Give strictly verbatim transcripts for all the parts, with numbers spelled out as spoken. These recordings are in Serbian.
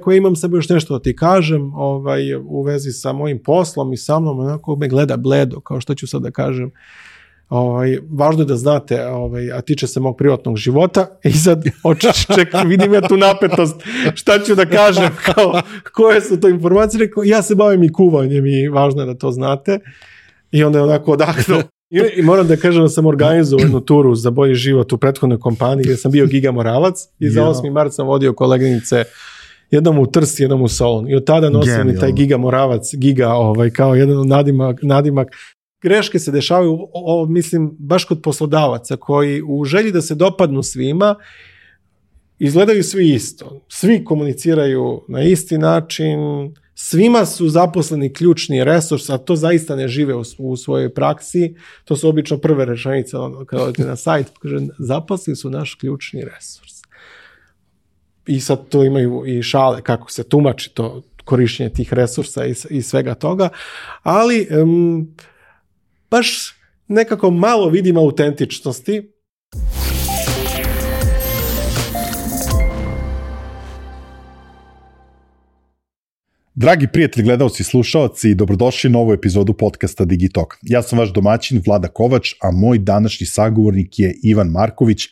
Ako imam sebe još nešto da ti kažem ovaj, u vezi sa mojim poslom i sa mnom, onako me gleda bledo, kao što ću sad da kažem. Ovaj, važno je da znate, ovaj, a tiče se mog privatnog života i sad čekaj, vidim ja tu napetost, šta ću da kažem, kao, koje su to informacije, rekao, ja se bavim i kuvanjem i važno je da to znate i onda je onako odahnuo. I, I moram da kažem da sam organizovao jednu turu za bolji život u prethodnoj kompaniji gdje sam bio Giga Moravac i za osmi mart sam vodio koleginice jednom u Trst, jednom u Solun i od tada nosim i taj Giga Moravac, Giga ovaj, kao jedan od nadimak, nadimak. Greške se dešavaju, o, o, mislim, baš kod poslodavaca koji u želji da se dopadnu svima izgledaju svi isto. Svi komuniciraju na isti način, svima su zaposleni ključni resurs, a to zaista ne žive u, u svojoj praksi. To su obično prve rečenice ono, kada odete na sajt, kaže, zaposleni su naš ključni resurs. I sad to imaju i šale kako se tumači to korištenje tih resursa i, i svega toga, ali um, baš nekako malo vidim autentičnosti. Dragi prijatelji, gledalci i slušalci, dobrodošli na novu epizodu podcasta Digitalk. Ja sam vaš domaćin Vlada Kovač, a moj današnji sagovornik je Ivan Marković,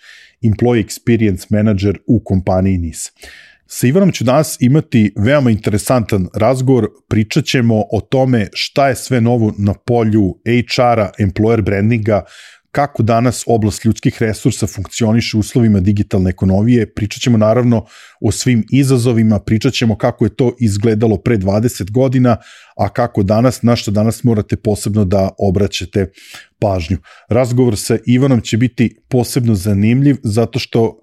Employee Experience Manager u kompaniji N I S. Sa Ivanom ću danas imati veoma interesantan razgovor, pričat ćemo o tome šta je sve novo na polju H R-a, employer brandinga, kako danas oblast ljudskih resursa funkcioniše u uslovima digitalne ekonomije, pričat ćemo naravno o svim izazovima, pričat ćemo kako je to izgledalo pre dvadeset godina, a kako danas, na što danas morate posebno da obraćate pažnju. Razgovor sa Ivanom će biti posebno zanimljiv zato što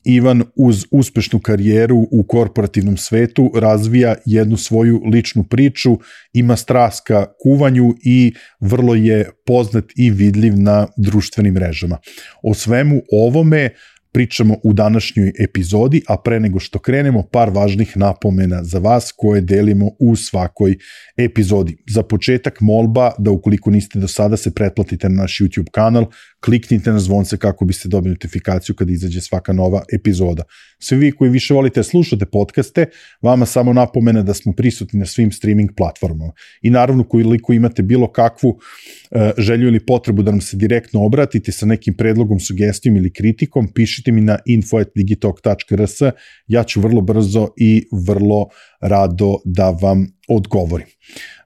Ivan uz uspešnu karijeru u korporativnom svetu razvija jednu svoju ličnu priču, ima strast ka kuvanju i vrlo je poznat i vidljiv na društvenim mrežama. O svemu ovome pričamo u današnjoj epizodi, a pre nego što krenemo, par važnih napomena za vas koje delimo u svakoj epizodi. Za početak molba da ukoliko niste do sada se pretplatite na naš YouTube kanal, kliknite na zvonce kako biste dobili notifikaciju kada izađe svaka nova epizoda. Svi vi koji više volite slušate podcaste, vama samo napomena da smo prisutni na svim streaming platformama. I naravno, koliko imate bilo kakvu uh, želju ili potrebu da nam se direktno obratite sa nekim predlogom, sugestijom ili kritikom, pišite mi na info at digitalk tačka r s, ja ću vrlo brzo i vrlo rado da vam odgovorim.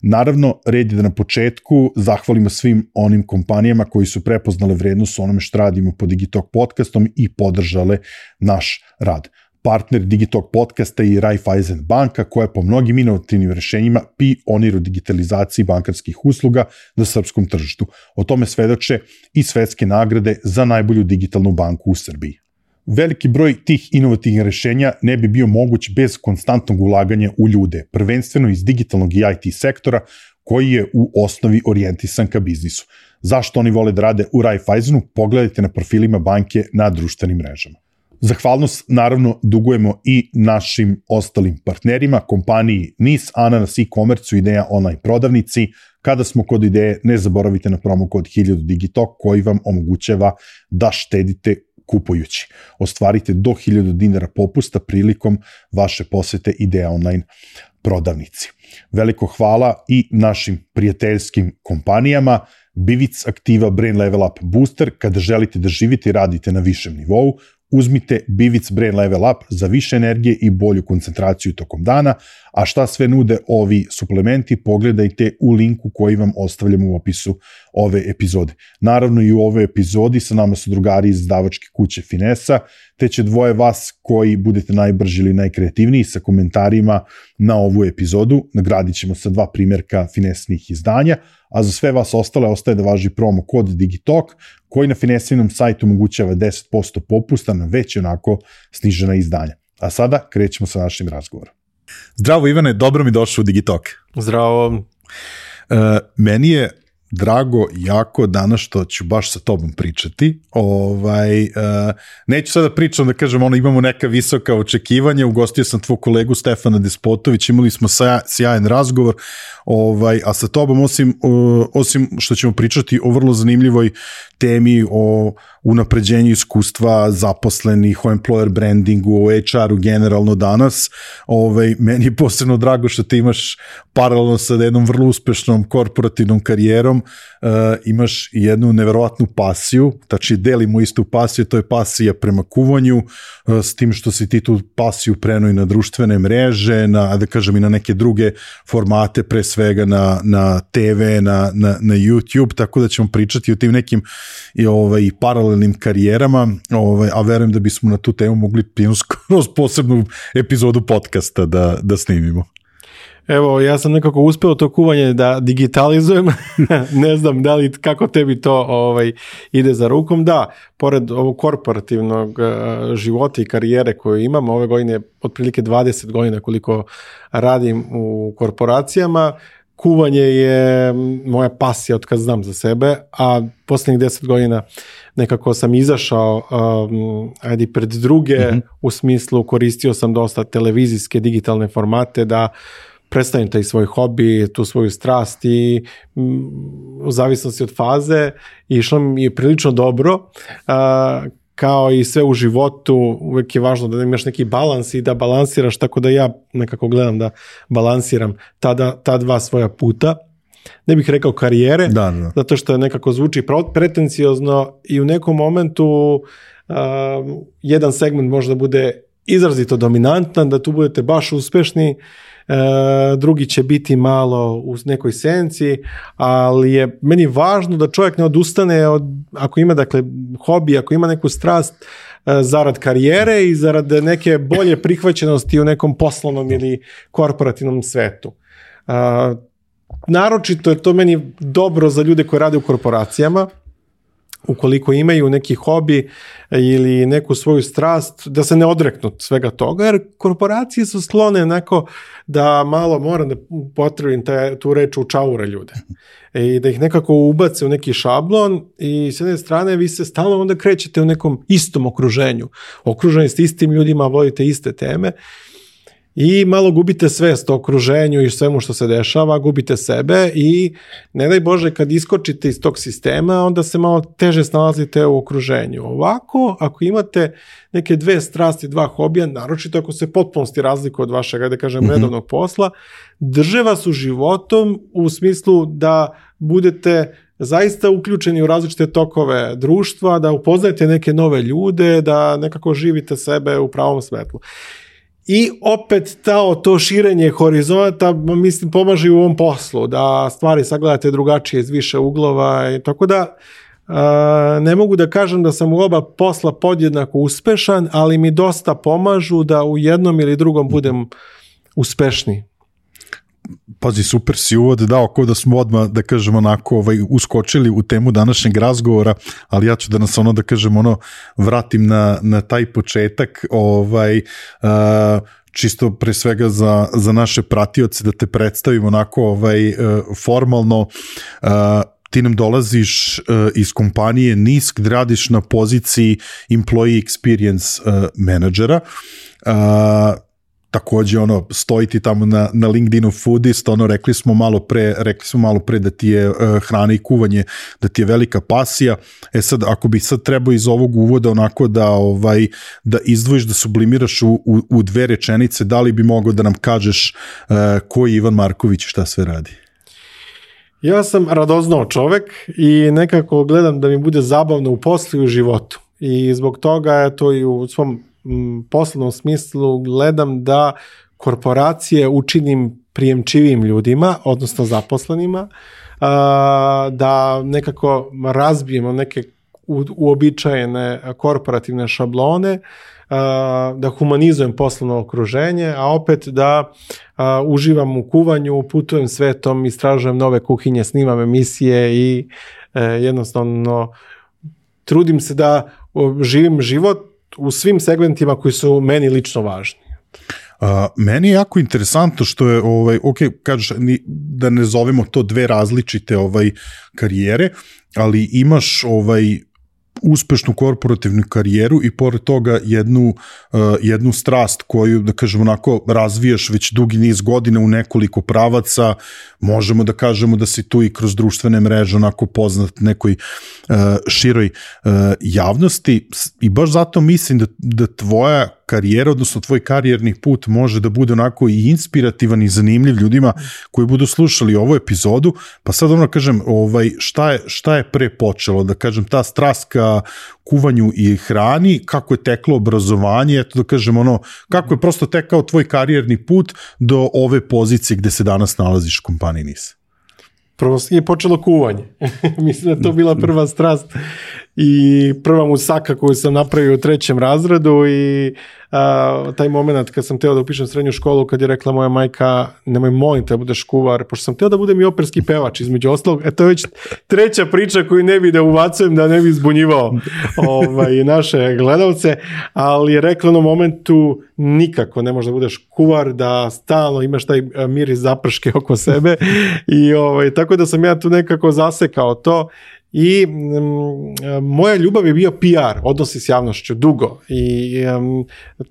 Naravno, red je da na početku zahvalimo svim onim kompanijama koji su prepoznale vrednost onome što radimo po Digitalk podcastom i podržale naš rad. Partner Digitalk podcasta je Raiffeisen banka koja je po mnogim inovativnim rešenjima pionir u digitalizaciji bankarskih usluga na srpskom tržištu. O tome svedoče i svetske nagrade za najbolju digitalnu banku u Srbiji. Veliki broj tih inovativnih rešenja ne bi bio moguć bez konstantnog ulaganja u ljude, prvenstveno iz digitalnog i I T sektora koji je u osnovi orijentisan ka biznisu. Zašto oni vole da rade u Raiffeisenu? Pogledajte na profilima banke na društvenim mrežama. Zahvalnost naravno dugujemo i našim ostalim partnerima, kompaniji N I S, Ananas e-commerce, Ideja online prodavnici. Kada smo kod Ideje, ne zaboravite na promo kod hiljadu Digitalk koji vam omogućava da štedite kupujući. Ostvarite do hiljadu dinara popusta prilikom vaše posete Ideja online prodavnici. Veliko hvala i našim prijateljskim kompanijama Bivic Aktiva Brain Level Up Booster. Kada želite da živite i radite na višem nivou, uzmite Bivic Brain Level Up za više energije i bolju koncentraciju tokom dana, a šta sve nude ovi suplementi pogledajte u linku koji vam ostavljamo u opisu ove epizode. Naravno i u ovoj epizodi sa nama su drugari iz izdavačke kuće Finesa, te će dvoje vas koji budete najbrži ili najkreativniji sa komentarima na ovu epizodu nagradit ćemo sa dva primjerka Finesnih izdanja, a za sve vas ostale ostaje da važi promo kod Digitalk koji na Finesinom sajtu omogućava deset posto popusta na već onako snižena izdanja. A sada krećemo sa našim razgovorom. Zdravo Ivane, dobro mi došao u Digitalk. Zdravo. Uh, meni je drago jako danas što ću baš sa tobom pričati. Ovaj, uh, neću sada pričam da kažem, ono, imamo neka visoka očekivanja, ugostio sam tvoj kolegu Stefana Despotović, imali smo sja, sjajan razgovor, ovaj, a sa tobom osim, uh, osim što ćemo pričati o vrlo zanimljivoj temi, o unapređenju iskustva zaposlenih, o employer brandingu, o H R-u generalno danas, ovaj, meni je posebno drago što ti imaš paralelno sa jednom vrlo uspešnom korporativnom karijerom, uh, imaš jednu neverovatnu pasiju, tači delimo istu pasiju, to je pasija prema kuvanju, uh, s tim što si ti tu pasiju prenuo i na društvene mreže, na, da kažem, i na neke druge formate, pre svega na, na te ve, na, na, na YouTube, tako da ćemo pričati o tim nekim i, ovaj, paralelnim karijerama, ovaj, a verujem da bismo na tu temu mogli skroz posebnu epizodu podcasta da, da snimimo. Evo, ja sam nekako uspeo to kuvanje da digitalizujem, ne znam da li kako tebi to ovaj, ide za rukom. Da, pored ovog korporativnog uh, života i karijere koju imam, ove godine otprilike dvadeset godina koliko radim u korporacijama, kuvanje je moja pasija od kad znam za sebe, a posljednjih deset godina nekako sam izašao um, ajde pred druge, mm-hmm. u smislu koristio sam dosta televizijske digitalne formate da predstavim taj svoj hobi, tu svoju strast i m, u zavisnosti od faze išlo mi je prilično dobro, uh, kao i sve u životu, uvijek je važno da imaš neki balans i da balansiraš, tako da ja nekako gledam da balansiram ta, ta dva svoja puta. Ne bih rekao karijere, da, da. zato što nekako zvuči pretenciozno i u nekom momentu uh, jedan segment možda bude izrazito dominantan, da tu budete baš uspešni, uh, drugi će biti malo u nekoj senci, ali je meni važno da čovjek ne odustane od, ako ima dakle hobi, ako ima neku strast, uh, zarad karijere i zarad neke bolje prihvaćenosti u nekom poslovnom ili korporativnom svetu. Uh, naročito je to meni dobro za ljude koji rade u korporacijama, ukoliko imaju neki hobi ili neku svoju strast, da se ne odreknu svega toga, jer korporacije su sklone onako da malo, moram da potrebim taj, tu reč, učaura ljude i da ih nekako ubace u neki šablon i s jedne strane vi se stalno onda krećete u nekom istom okruženju, okruženi ste istim ljudima, vodite iste teme i malo gubite svest o okruženju i svemu što se dešava, gubite sebe i ne daj Bože kad iskočite iz tog sistema, onda se malo teže snalazite u okruženju. Ovako, ako imate neke dve strasti, dva hobija, naročito ako se potpunosti razliku od vašeg, da kažem, mm-hmm. redovnog posla, drže vas u životom u smislu da budete zaista uključeni u različite tokove društva, da upoznajete neke nove ljude, da nekako živite sebe u pravom svetlu. I opet to, to širenje horizonta, mislim, pomaže u ovom poslu, da stvari sagledate drugačije iz više uglova i tako da uh, ne mogu da kažem da sam u oba posla podjednako uspešan, ali mi dosta pomažu da u jednom ili drugom budem uspešni. Pazi, super si uvod dao, kao da smo odmah, da kažem, onako ovaj, uskočili u temu današnjeg razgovora, ali ja ću da nas ono, da kažem, ono, vratim na, na taj početak, ovaj, uh, čisto pre svega za, za naše pratioce, da te predstavim onako ovaj, uh, formalno. Uh, ti nam dolaziš uh, iz kompanije N I S K, gde radiš na poziciji Employee Experience uh, menadžera. Uh, takođe ono stoji ti tamo na, na LinkedInu foodist, ono rekli smo malo pre, rekli smo malo pre da ti je uh, hrana i kuvanje, da ti je velika pasija. E sad, ako bi sad trebao iz ovog uvoda onako da ovaj da izdvojiš, da sublimiraš u, u, u dve rečenice, da li bi mogao da nam kažeš uh, ko je Ivan Marković i šta sve radi? Ja sam radoznao čovek i nekako gledam da mi bude zabavno u poslu i u životu. I zbog toga to i u svom poslovnom smislu gledam da korporacije učinim prijemčivim ljudima, odnosno zaposlenima, da nekako razbijemo neke uobičajene korporativne šablone, da humanizujem poslovno okruženje, a opet da uživam u kuvanju, putujem svetom, istražujem nove kuhinje, snimam emisije i jednostavno trudim se da živim život u svim segmentima koji su meni lično važni. A, meni je jako interesantno što je, ovaj, ok, kažeš da ne zovemo to dve različite ovaj, karijere, ali imaš ovaj, uspešnu korporativnu karijeru i pored toga jednu, uh, jednu strast koju, da kažemo onako, razvijaš već dugi niz godina u nekoliko pravaca, možemo da kažemo da si tu i kroz društvene mreže onako poznat nekoj uh, široj uh, javnosti i baš zato mislim da, da tvoja karijera, odnosno tvoj karijerni put može da bude onako i inspirativan i zanimljiv ljudima koji budu slušali ovu epizodu, pa sad ono kažem, ovaj, šta, je, šta je pre počelo, da kažem, ta strast ka kuvanju i hrani, kako je teklo obrazovanje, eto da kažem ono, kako je prosto tekao tvoj karijerni put do ove pozicije gde se danas nalaziš u kompaniji N I S? Prvo je počelo kuvanje. Mislim da to bila prva strast i prva musaka koju sam napravio u trećem razredu i a, taj moment kad sam teo da upišem srednju školu, kad je rekla moja majka, nemoj molim te da budeš kuvar, pošto sam teo da budem i operski pevač između ostalog, e to je već treća priča koju ne bi da uvacujem da ne bi zbunjivao ovaj, naše gledalce, ali je rekla na momentu nikako ne možeš da budeš kuvar, da stalno imaš taj miris zaprške oko sebe i ovaj, tako da sam ja tu nekako zasekao to. I um, moja ljubav je bio P R, odnosi s javnošću, dugo i um,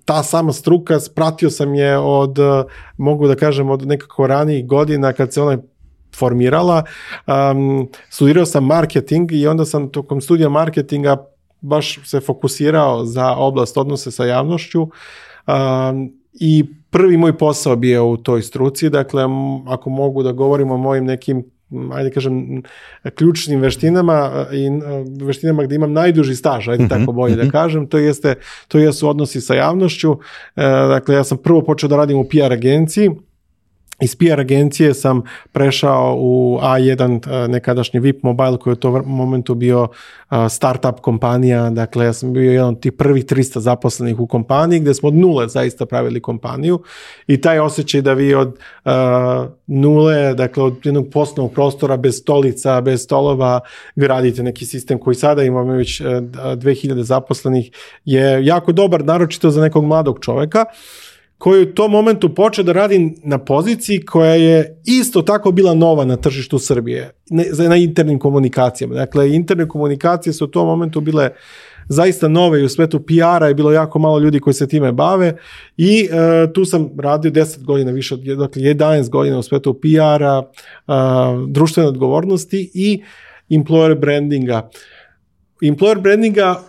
ta sama struka, pratio sam je od, mogu da kažem, od nekako ranijih godina kad se ona formirala. Um, studirao sam marketing i onda sam tokom studija marketinga baš se fokusirao za oblast odnose sa javnošću um, i prvi moj posao bio u toj struci, dakle ako mogu da govorim o mojim nekim ajde kažem, ključnim veštinama i veštinama gde imam najduži staž, ajde tako bolje da kažem, to jeste, to jesu odnosi sa javnošću. Dakle, ja sam prvo počeo da radim u P R agenciji. Iz P R agencije sam prešao u A jedan, nekadašnji V I P Mobile, koji je u tom momentu bio startup kompanija. Dakle, ja sam bio jedan od tih prvih tristo zaposlenih u kompaniji, gde smo od nule zaista pravili kompaniju i taj osjećaj da vi od uh, nule, dakle od jednog poslovnog prostora bez stolica, bez stolova, gradite neki sistem koji sada imamo već uh, dve hiljade zaposlenih, je jako dobar, naročito za nekog mladog čoveka, koji u tom momentu počeo da radi na poziciji koja je isto tako bila nova na tržištu Srbije, na internim komunikacijama. Dakle, interne komunikacije su u tom momentu bile zaista nove i u svetu P R-a je bilo jako malo ljudi koji se time bave i uh, tu sam radio deset godina, više od dakle, jedanaest godina u svetu P R-a, uh, društvene odgovornosti i employer brandinga. Employer brandinga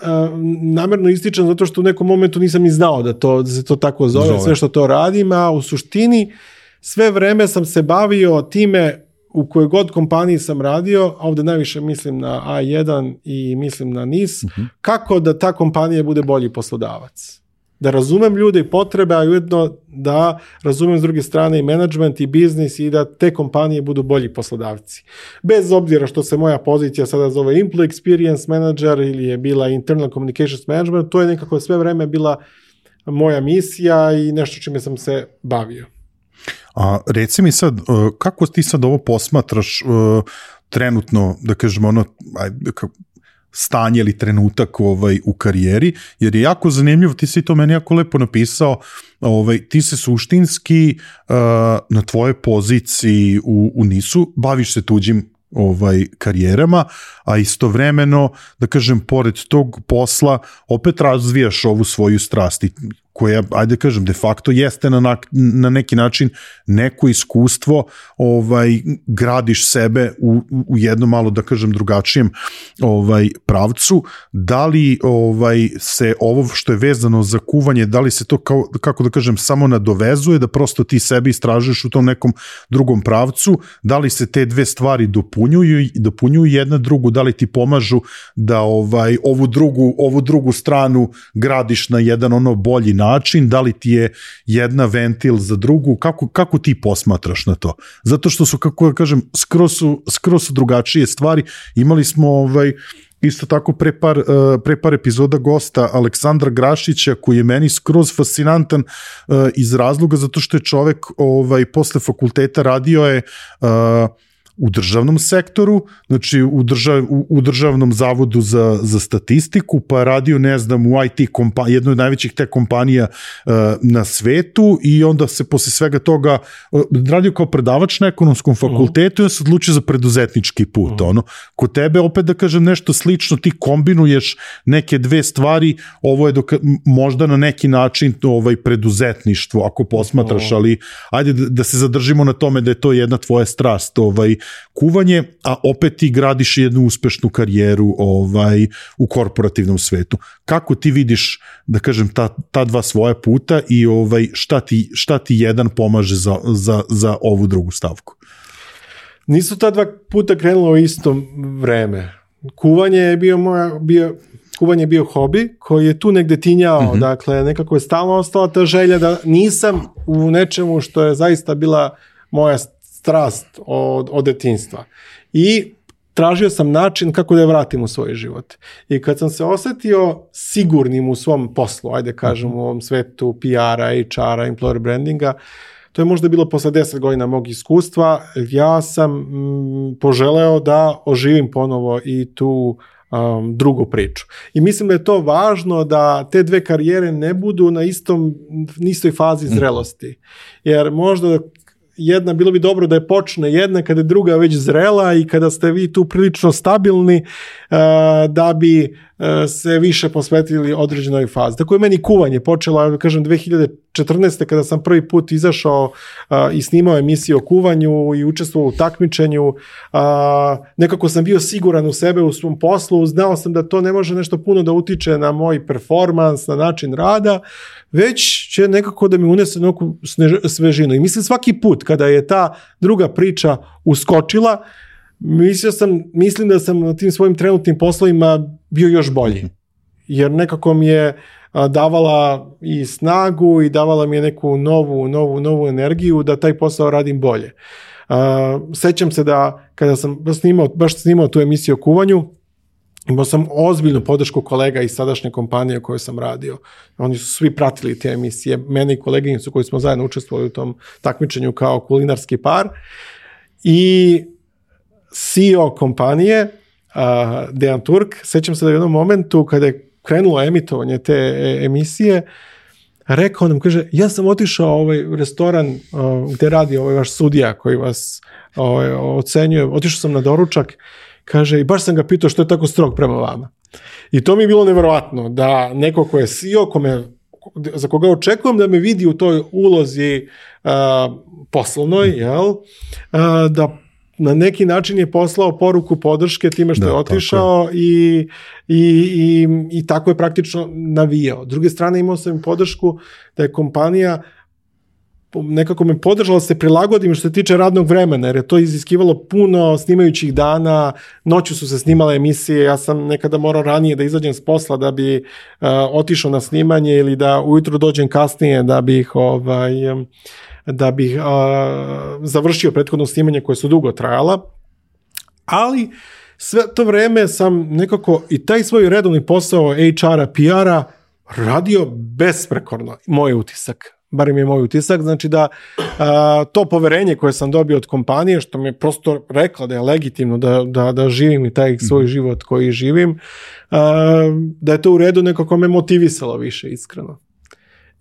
Uh, namerno ističem zato što u nekom momentu nisam ni znao da, to, da se to tako zove, zove, sve što to radim, a u suštini sve vreme sam se bavio time u kojoj god kompaniji sam radio, a ovde najviše mislim na A jedan i mislim na N I S, uh-huh. kako da ta kompanija bude bolji poslodavac. Da razumem ljude i potrebe, a ujedno da razumem s druge strane i management i biznis i da te kompanije budu bolji poslodavci. Bez obzira što se moja pozicija sada zove Employee Experience Manager ili je bila Internal Communications Management, to je nekako sve vreme bila moja misija i nešto čime sam se bavio. A reci mi sad, kako ti sad ovo posmatraš trenutno, da kažemo ono, ajde, kako stanje ili trenutak ovaj, u karijeri, jer je jako zanimljivo, ti si to meni jako lepo napisao, ovaj, ti se suštinski uh, na tvojoj poziciji u, u N I S-u baviš se tuđim ovaj, karijerama, a istovremeno, da kažem, pored tog posla opet razvijaš ovu svoju strast koja, ajde kažem, de facto jeste na, na neki način neko iskustvo, ovaj, gradiš sebe u, u jednom malo, da kažem, drugačijem ovaj, pravcu. Da li ovaj, se ovo što je vezano za kuvanje, da li se to, kao, kako da kažem, samo nadovezuje, da prosto ti sebi istražuješ u tom nekom drugom pravcu, da li se te dve stvari dopunjuju, dopunjuju jedna drugu, da li ti pomažu da ovaj, ovu, drugu, ovu drugu stranu gradiš na jedan ono bolji način, način, da li ti je jedna ventil za drugu, kako, kako ti posmatraš na to? Zato što su, kako da kažem, skroz su, skroz su drugačije stvari. Imali smo ovaj, isto tako pre par, pre par epizoda gosta Aleksandra Grašića, koji je meni skroz fascinantan iz razloga zato što je čovek ovaj, posle fakulteta radio je u državnom sektoru, znači u, držav, u, u državnom zavodu za, za statistiku, pa radio, ne znam, u I T kompaniji, jednoj od najvećih te kompanija uh, na svetu i onda se posle svega toga uh, radio kao predavač na ekonomskom fakultetu uh-huh. i on se odlučio za preduzetnički put. Uh-huh. Ono. Kod tebe, opet da kažem nešto slično, ti kombinuješ neke dve stvari, ovo je dok, možda na neki način ovaj preduzetništvo, ako posmatraš, uh-huh. ali ajde da, da se zadržimo na tome da je to jedna tvoja strast, ovaj, kuvanje, a opet ti gradiš jednu uspešnu karijeru ovaj, u korporativnom svetu. Kako ti vidiš, da kažem, ta, ta dva svoja puta i ovaj, šta, ti, šta ti jedan pomaže za, za, za ovu drugu stavku? Nisu ta dva puta krenula u isto vreme. Kuvanje je bio moja, bio, kuvanje je bio hobi koji je tu negde tinjao, mm-hmm. dakle nekako je stalno ostala ta želja da nisam u nečemu što je zaista bila moja strast od, od detinjstva. I tražio sam način kako da je vratim u svoj život. I kad sam se osetio sigurnim u svom poslu, ajde kažem u ovom svetu P R-a, H R-a, employer brandinga, to je možda bilo posle deset godina mog iskustva, ja sam mm, poželeo da oživim ponovo i tu um, drugu priču. I mislim da je to važno da te dve karijere ne budu na istom, istoj fazi zrelosti. Jer možda jedna, bilo bi dobro da je počne jedna kada je druga već zrela i kada ste vi tu prilično stabilni uh, da bi uh, se više posvetili određenoj fazi. Tako je meni kuvanje počelo, kažem, dve hiljade četrnaeste. kada sam prvi put izašao uh, i snimao emisiju o kuvanju i učestvovao u takmičenju. Uh, nekako sam bio siguran u sebe, u svom poslu, znao sam da to ne može nešto puno da utiče na moj performans, na način rada, već će nekako da mi unese neku svežinu. I mislim svaki put kada je ta druga priča uskočila, mislio sam, mislim da sam na tim svojim trenutnim poslovima bio još bolji. Jer nekako mi je davala i snagu i davala mi je neku novu, novu, novu energiju da taj posao radim bolje. Sećam se da kada sam snimao, baš snimao tu emisiju o kuvanju, imao sam ozbiljnu podršku kolega iz sadašnje kompanije u kojoj sam radio. Oni su svi pratili te emisije, mene i koleginicu koji smo zajedno učestvovali u tom takmičenju kao kulinarski par. I C E O kompanije, uh, Dejan Turk, sećam se da u jednom momentu kada je krenulo emitovanje te emisije, rekao nam, kaže, ja sam otišao ovaj restoran uh, gde radi ovaj vaš sudija koji vas ovaj, ocenjuje, otišao sam na doručak, kaže, i baš sam ga pitao što je tako strog prema vama. I to mi je bilo neverovatno, da neko ko je C E O, kome, za koga očekujem da me vidi u toj ulozi uh, poslovnoj, jel, uh, da na neki način je poslao poruku podrške time što da, je otišao i, i, i, i tako je praktično navijao. S druge strane imao sam podršku da je kompanija nekako me podržala da se prilagodim što se tiče radnog vremena, jer je to iziskivalo puno snimajućih dana, noću su se snimale emisije, ja sam nekada morao ranije da izađem s posla da bi uh, otišao na snimanje ili da ujutro dođem kasnije da bih ovaj, da bih uh, završio prethodno snimanje koje su dugo trajala, ali sve to vreme sam nekako i taj svoj redovni posao H R-a, P R-a radio besprekorno, moj utisak. Bar mi je moj utisak, znači da a, to poverenje koje sam dobio od kompanije, što mi je prosto rekla da je legitimno da, da, da živim i taj svoj život koji živim, a, da je to u redu, nekako me motivisalo više, iskreno.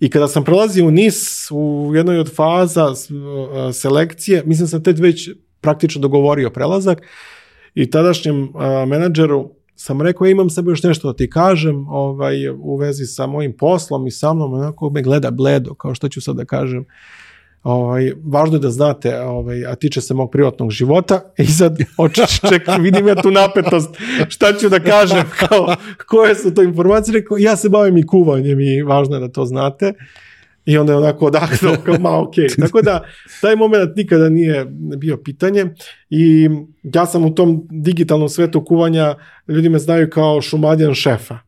I kada sam prelazio u N I S, u jednoj od faza a, selekcije, mislim sam tek već praktično dogovorio prelazak i tadašnjem a, menadžeru sam rekao, ja imam sebe još nešto da ti kažem ovaj, u vezi sa mojim poslom i sa mnom, onako me gleda bledo, kao što ću sad da kažem. Ovaj, važno je da znate, ovaj, a tiče se mog privatnog života i sad čekaj, vidim ja tu napetost, šta ću da kažem, kao, koje su to informacije, rekao, ja se bavim i kuvanjem i važno je da to znate. I onda je onako odahnuo, kao ma ok. Tako da, taj moment nikada nije bio pitanje i ja sam u tom digitalnom svetu kuvanja, ljudi me znaju kao Šumadjan šefa.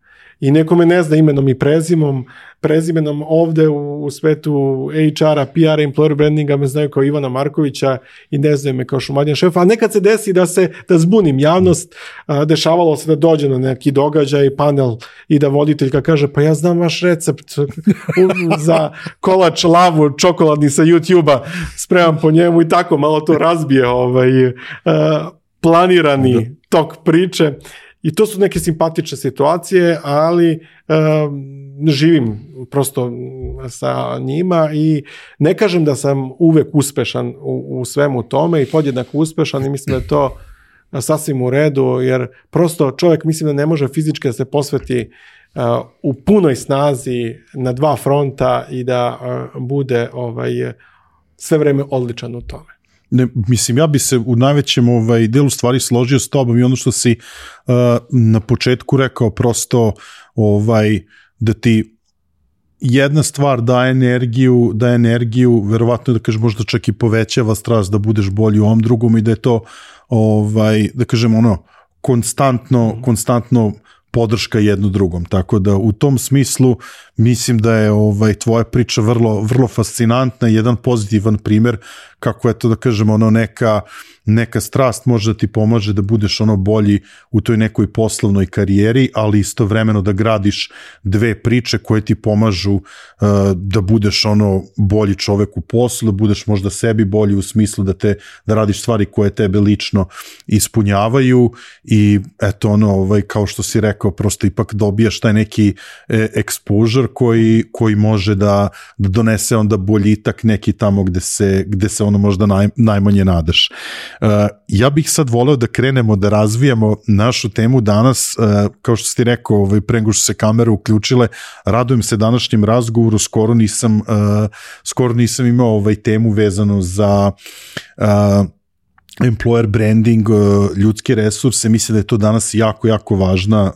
i neko me ne zna imenom i prezimom, prezimenom ovde u, u svetu H R-a, P R-a, employer brandinga me znaju kao Ivana Markovića i ne znaju me kao Šumadjan šefa, a nekad se desi da se da zbunim javnost, a, dešavalo se da dođe na neki događaj, panel i da voditeljka kaže pa ja znam vaš recept za kolač lavu čokoladni sa YouTube-a, spremam po njemu i tako malo to razbije ovaj, a, planirani tok priče. I to su neke simpatične situacije, ali um, živim prosto sa njima i ne kažem da sam uvek uspešan u, u svemu tome i podjednako uspešan i mislim da je to sasvim u redu, jer prosto čovjek mislim da ne može fizički da se posveti uh, u punoj snazi na dva fronta i da uh, bude ovaj, sve vreme odličan u tome. Ne, mislim, ja bi se u najvećem ovaj, delu stvari složio s tobom i ono što si uh, na početku rekao, prosto ovaj, da ti jedna stvar daje energiju, daje energiju, verovatno da kažem možda čak i povećava strast da budeš bolji u ovom drugom i da je to, ovaj, da kažem ono, konstantno, konstantno podrška jedno drugom, tako da u tom smislu mislim da je ovaj tvoja priča vrlo vrlo fascinantna, jedan pozitivan primjer kako je to da kažemo ono neka neka strast može da ti pomaže da budeš ono bolji u toj nekoj poslovnoj karijeri, ali istovremeno da gradiš dve priče koje ti pomažu uh, da budeš ono bolji čovek u poslu, da budeš možda sebi bolji u smislu da te da radiš stvari koje tebe lično ispunjavaju i eto ono ovaj kao što si rekao prosto ipak dobijaš taj neki e, exposure koji koji može da, da donese onda boljitak neki tamo gde se gde se ono možda naj, najmanje nadaš. Uh, ja bih sad voleo da krenemo da razvijamo našu temu danas, uh, kao što si rekao, ovaj, pre nego što se kamere uključile, radujem se današnjem razgovoru, skoro nisam, uh, skoro nisam imao ovaj temu vezano za uh, employer branding, ljudske resurse, mislim da je to danas jako, jako važna,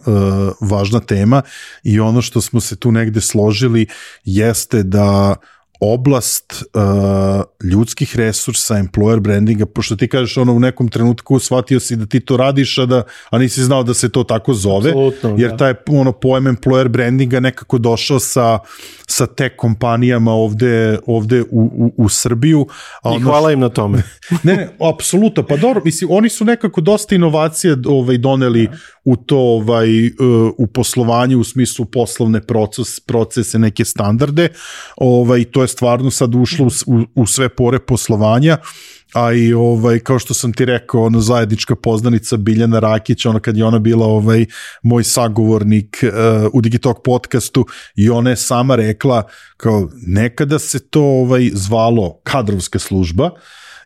važna tema i ono što smo se tu negde složili jeste da oblast uh, ljudskih resursa, employer brandinga, pošto ti kažeš ono u nekom trenutku shvatio si da ti to radiš, a, da, a nisi znao da se to tako zove, absolutno, jer taj ono, pojem employer brandinga nekako došao sa, sa tech kompanijama ovde, ovde u, u, u Srbiju. A ono, i hvala im na tome. ne, ne, apsolutno, pa dobro, mislim, oni su nekako dosta inovacije ovaj, doneli u to ovaj, u poslovanju u smislu poslovne proces, procese, neke standarde, ovaj, to je stvarno sad ušlo u, u sve pore poslovanja, a i ovaj, kao što sam ti rekao, ono zajednička poznanica Biljana Rakić, ona kad je ona bila ovaj, moj sagovornik uh, u Digitalk podcastu i ona je sama rekla kao nekada se to ovaj, zvalo kadrovska služba,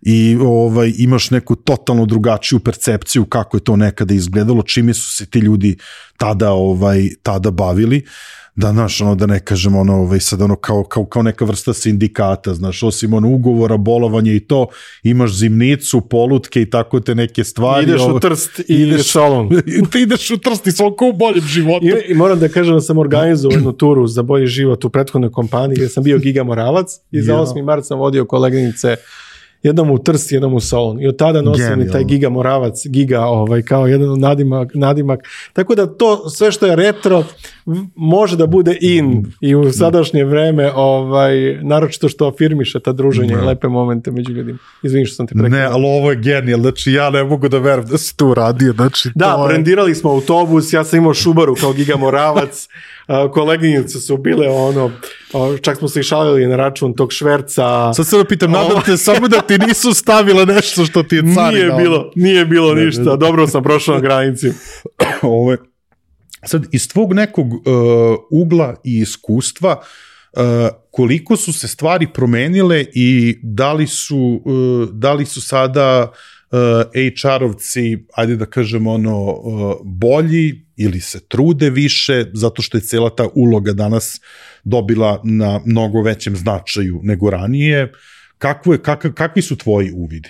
i ovaj imaš neku totalno drugačiju percepciju kako je to nekada izgledalo, čime su se ti ljudi tada ovaj tada bavili, da znaš, ono, da ne kažem ono, ovaj, sad ono kao, kao, kao neka vrsta sindikata, znaš, osim ono ugovora, bolovanja i to, imaš zimnicu, polutke i tako te neke stvari. Ideš ovo, u Trst i ideš salon. Ti ideš u Trst i salon kao u boljem životu. I, I moram da kažem da sam organizovao jednu turu za bolji život u prethodnoj kompaniji gdje sam bio Giga Moravac i za osmi mart sam vodio koleginice jednom u Trst, jednom u Solun. I od tada nosim i taj Giga Moravac, Giga, ovaj, kao jedan nadimak, nadimak. Tako da to, sve što je retro, može da bude in i u sadašnje vreme, ovaj, naročito što afirmiše ta druženje i lepe momente među ljudima. Izvini što sam te prekao. Ne, ali ovo je genijal, znači ja ne mogu da verujem da si to uradio. Znači, da, to je... brendirali smo autobus, ja sam imao Šubaru kao Giga Moravac, koleginice su bile ono, čak smo se i šalili na račun tog šverca. Sad se da pitam, nadam te samo da ti nisu stavile nešto što ti je carina. Nije bilo, nije bilo ne, ništa, ne, ne. Dobro sam prošao na granici. Ovo je, sad, iz tvog nekog uh, ugla i iskustva, uh, koliko su se stvari promenile i da li su, uh, da li su sada uh, H R-ovci, ajde da kažemo ono, uh, bolji ili se trude više, zato što je cijela ta uloga danas dobila na mnogo većem značaju nego ranije. Kako je, kak, kakvi su tvoji uvidi?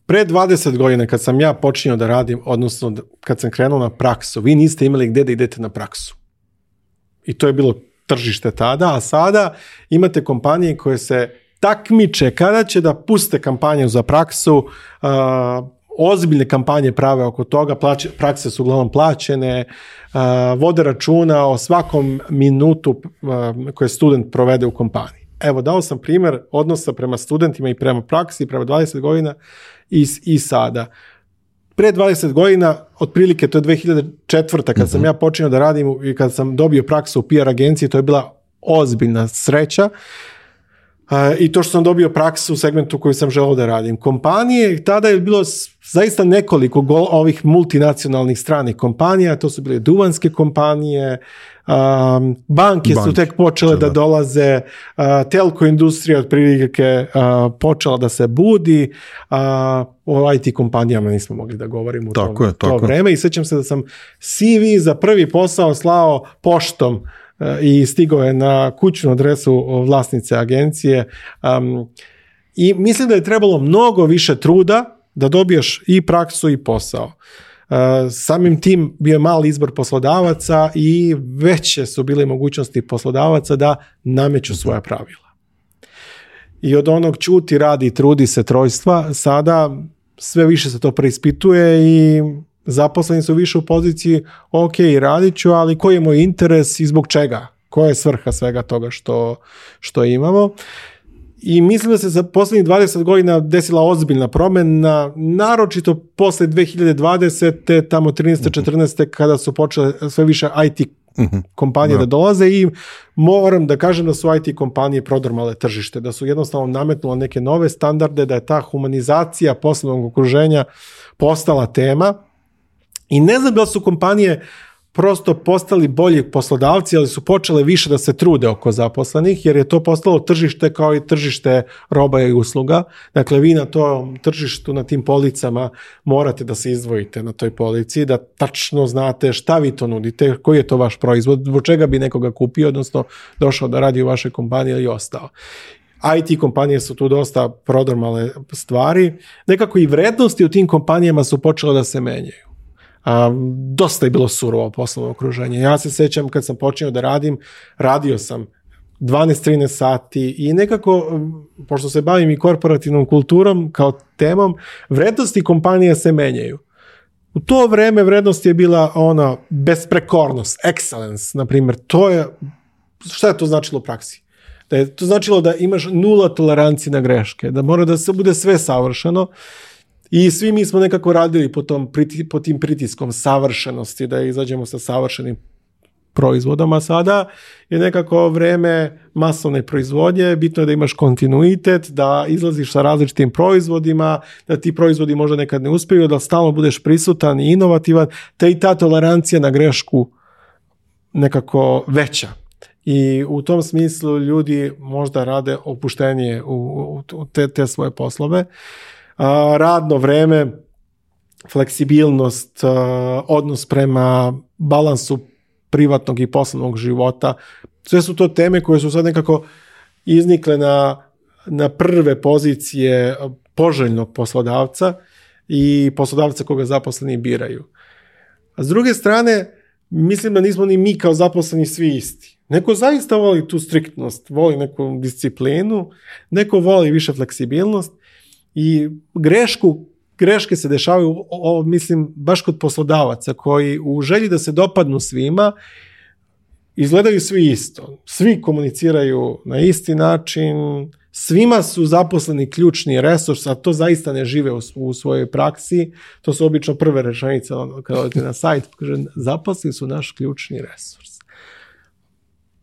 Pre dvadeset godina kad sam ja počinio da radim, odnosno kad sam krenuo na praksu, vi niste imali gde da idete na praksu. I to je bilo tržište tada, a sada imate kompanije koje se takmiče kada će da puste kampanju za praksu, uh, ozbiljne kampanje prave oko toga, plaće, prakse su uglavnom plaćene, uh, vode računa o svakom minutu uh, koje student provede u kompaniji. Evo, dao sam primjer odnosa prema studentima i prema praksi, prema dvadeset godina i, i sada. Pre dvadeset godina, otprilike to je dve hiljade četvrta kad mm-hmm. sam ja počinio da radim i kad sam dobio praksu u P R agenciji, to je bila ozbiljna sreća. Uh, I to što sam dobio praksu u segmentu koju sam želeo da radim. Kompanije, tada je bilo zaista nekoliko gol, ovih multinacionalnih stranih kompanija, to su bile duvanske kompanije, um, banke Bank. su tek počele da, da dolaze, uh, telko industrija otprilike uh, počela da se budi, uh, o I T kompanijama nismo mogli da govorimo u tako tom, je, tako. to vreme i sjećam se da sam C V za prvi posao slao poštom i stigao je na kućnu adresu vlasnice agencije um, i mislim da je trebalo mnogo više truda da dobiješ i praksu i posao. Uh, samim tim bio je mali izbor poslodavaca i veće su bile mogućnosti poslodavaca da nameću svoja pravila. I od onog čuti, radi, trudi se trojstva, sada sve više se to preispituje i zaposleni su više u poziciji, ok, radit ću, ali koji je moj interes i zbog čega? Koja je svrha svega toga što, što imamo? I mislim da se za posljednjih dvadeset godina desila ozbiljna promjena, naročito posle dve hiljade dvadesete, tamo trinaeste četrnaeste kada su počele sve više I T kompanije uh-huh. da dolaze i moram da kažem da su I T kompanije prodrmale tržište, da su jednostavno nametnule neke nove standarde, da je ta humanizacija poslovnog okruženja postala tema. I ne znam da su kompanije prosto postali bolji poslodavci, ali su počele više da se trude oko zaposlenih, jer je to postalo tržište kao i tržište roba i usluga. Dakle, vi na tom tržištu, na tim policama morate da se izdvojite na toj polici, da tačno znate šta vi to nudite, koji je to vaš proizvod, zbog čega bi nekoga kupio, odnosno došao da radi u vašoj kompaniji ili ostao. I T kompanije su tu dosta prodrmale stvari. Nekako i vrednosti u tim kompanijama su počele da se menjaju. Um, dosta je bilo surovo poslovno okruženje. Ja se sjećam kad sam počeo da radim, radio sam dvanaest trinaest sati i nekako, pošto se bavim i korporativnom kulturom kao temom, vrednosti kompanije se menjaju. U to vreme vrednost je bila ona besprekornost, excellence, na primjer. To je, šta je to značilo u praksi? Da je to značilo da imaš nula tolerancije na greške, da mora da se bude sve savršeno. I svi mi smo nekako radili po, tom, po tim pritiskom savršenosti, da izađemo sa savršenim proizvodama. Sada je nekako vreme masovne proizvodnje, bitno je da imaš kontinuitet, da izlaziš sa različitim proizvodima, da ti proizvodi možda nekad ne uspiju, da stalno budeš prisutan i inovativan, te i ta tolerancija na grešku nekako veća. I u tom smislu ljudi možda rade opuštenije u, u te, te svoje poslove. A, radno vreme, fleksibilnost, a, odnos prema balansu privatnog i poslovnog života, sve su to teme koje su sad nekako iznikle na, na prve pozicije poželjnog poslodavca i poslodavca koga zaposleni biraju. A s druge strane, mislim da nismo ni mi kao zaposleni svi isti. Neko zaista voli tu striktnost, voli neku disciplinu, neko voli više fleksibilnost i grešku, greške se dešavaju, o, o, mislim, baš kod poslodavaca koji u želji da se dopadnu svima izgledaju svi isto. Svi komuniciraju na isti način, svima su zaposleni ključni resurs, a to zaista ne žive u, u svojoj praksi. To su obično prve rečenice kada odete na sajt, kaže, zaposleni su naš ključni resurs.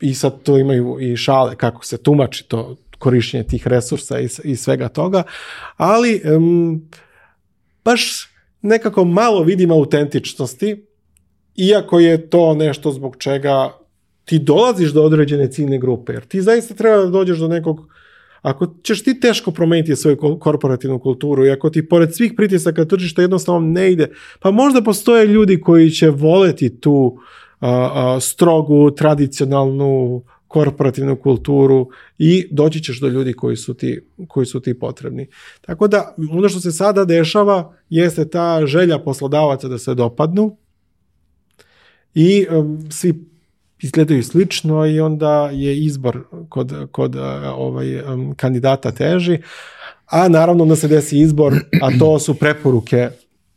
I sad to imaju i šale kako se tumači to korištenje tih resursa i, i svega toga, ali um, baš nekako malo vidim autentičnosti, iako je to nešto zbog čega ti dolaziš do određene ciljne grupe, jer ti zaista treba da dođeš do nekog, ako ćeš ti teško promeniti svoju korporativnu kulturu i ako ti pored svih pritisaka tržišta jednostavno ne ide, pa možda postoje ljudi koji će voleti tu a, a, strogu, tradicionalnu korporativnu kulturu i doći ćeš do ljudi koji su ti, koji su ti potrebni. Tako da, ono što se sada dešava jeste ta želja poslodavaca da se dopadnu i um, svi izgledaju slično i onda je izbor kod, kod uh, ovaj, um, kandidata teži, a naravno da se desi izbor, a to su preporuke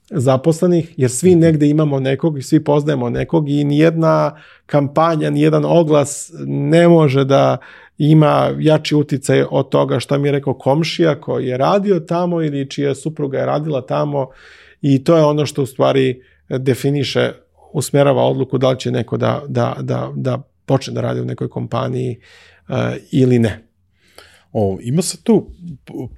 zaposlenih, jer svi negde imamo nekog i svi poznajemo nekog i nijedna kampanja, nijedan oglas ne može da ima jači uticaj od toga što mi je rekao komšija koji je radio tamo ili čija supruga je radila tamo i to je ono što u stvari definiše, usmerava odluku da li će neko da, da, da, da počne da radi u nekoj kompaniji uh, ili ne. O, ima se tu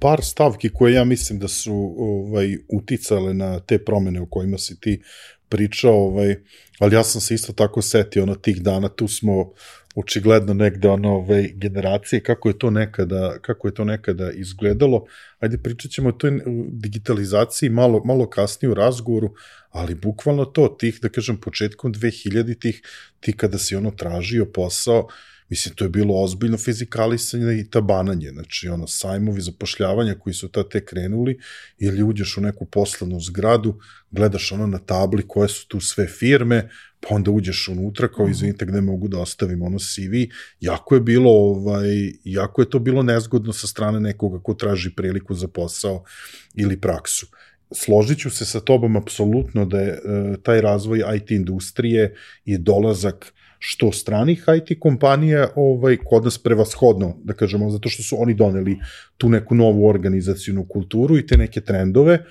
par stavki koje ja mislim da su ovaj, uticale na te promene o kojima si ti pričao, ovaj, ali ja sam se isto tako setio ono tih dana, tu smo očigledno negde ono ove generacije, kako je to nekada, kako je to nekada izgledalo. Ajde, pričat ćemo o toj digitalizaciji malo, malo kasnije u razgovoru, ali bukvalno to, tih, da kažem, početkom dve hiljaditih, ti kada si ono tražio posao, mislim, to je bilo ozbiljno fizikalisanje i tabananje, znači ono, sajmovi zapošljavanja koji su tad tek krenuli, ili uđeš u neku poslovnu zgradu, gledaš ono na tabli koje su tu sve firme, pa onda uđeš unutra, kao izvinite gde mogu da ostavim ono C V, jako je bilo, ovaj, jako je to bilo nezgodno sa strane nekoga ko traži priliku za posao ili praksu. Složit ću se sa tobom apsolutno da je e, taj razvoj I T industrije i dolazak što stranih I T kompanija ovaj, kod nas prevashodno, da kažemo, zato što su oni doneli tu neku novu organizacijnu kulturu i te neke trendove.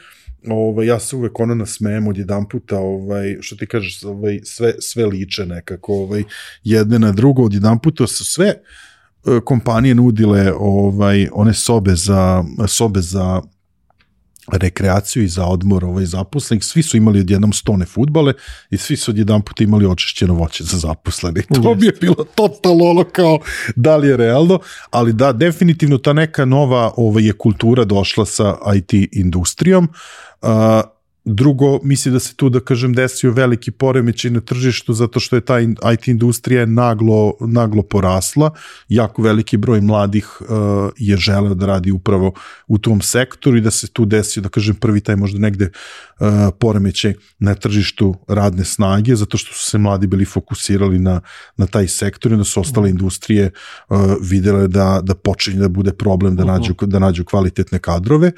Ovaj, ja se uvek ono nasmejem od jedan puta, ovaj, što ti kažeš, ovaj, sve, sve liče nekako, ovaj, jedne na drugo, od jedan puta su sve e, kompanije nudile ovaj, one sobe za, sobe za rekreaciju i za odmor ovaj, zaposlenih, svi su imali odjednom stone fudbale i svi su odjedan puta imali očišćeno voće za zaposlenih. To yes. bi je bilo totalno ono kao da li je realno, ali da, definitivno ta neka nova ovaj, je kultura došla sa I T industrijom. Uh, Drugo, mislim da se tu, da kažem, desio veliki poremećaj na tržištu zato što je ta I T industrija naglo, naglo porasla. Jako veliki broj mladih uh, je želeo da radi upravo u tom sektoru i da se tu desio, da kažem, prvi taj možda negde uh, poremećaj na tržištu radne snage, zato što su se mladi bili fokusirali na, na taj sektor i da su ostale industrije uh, videle da, da počinje da bude problem da nađu, da nađu kvalitetne kadrove.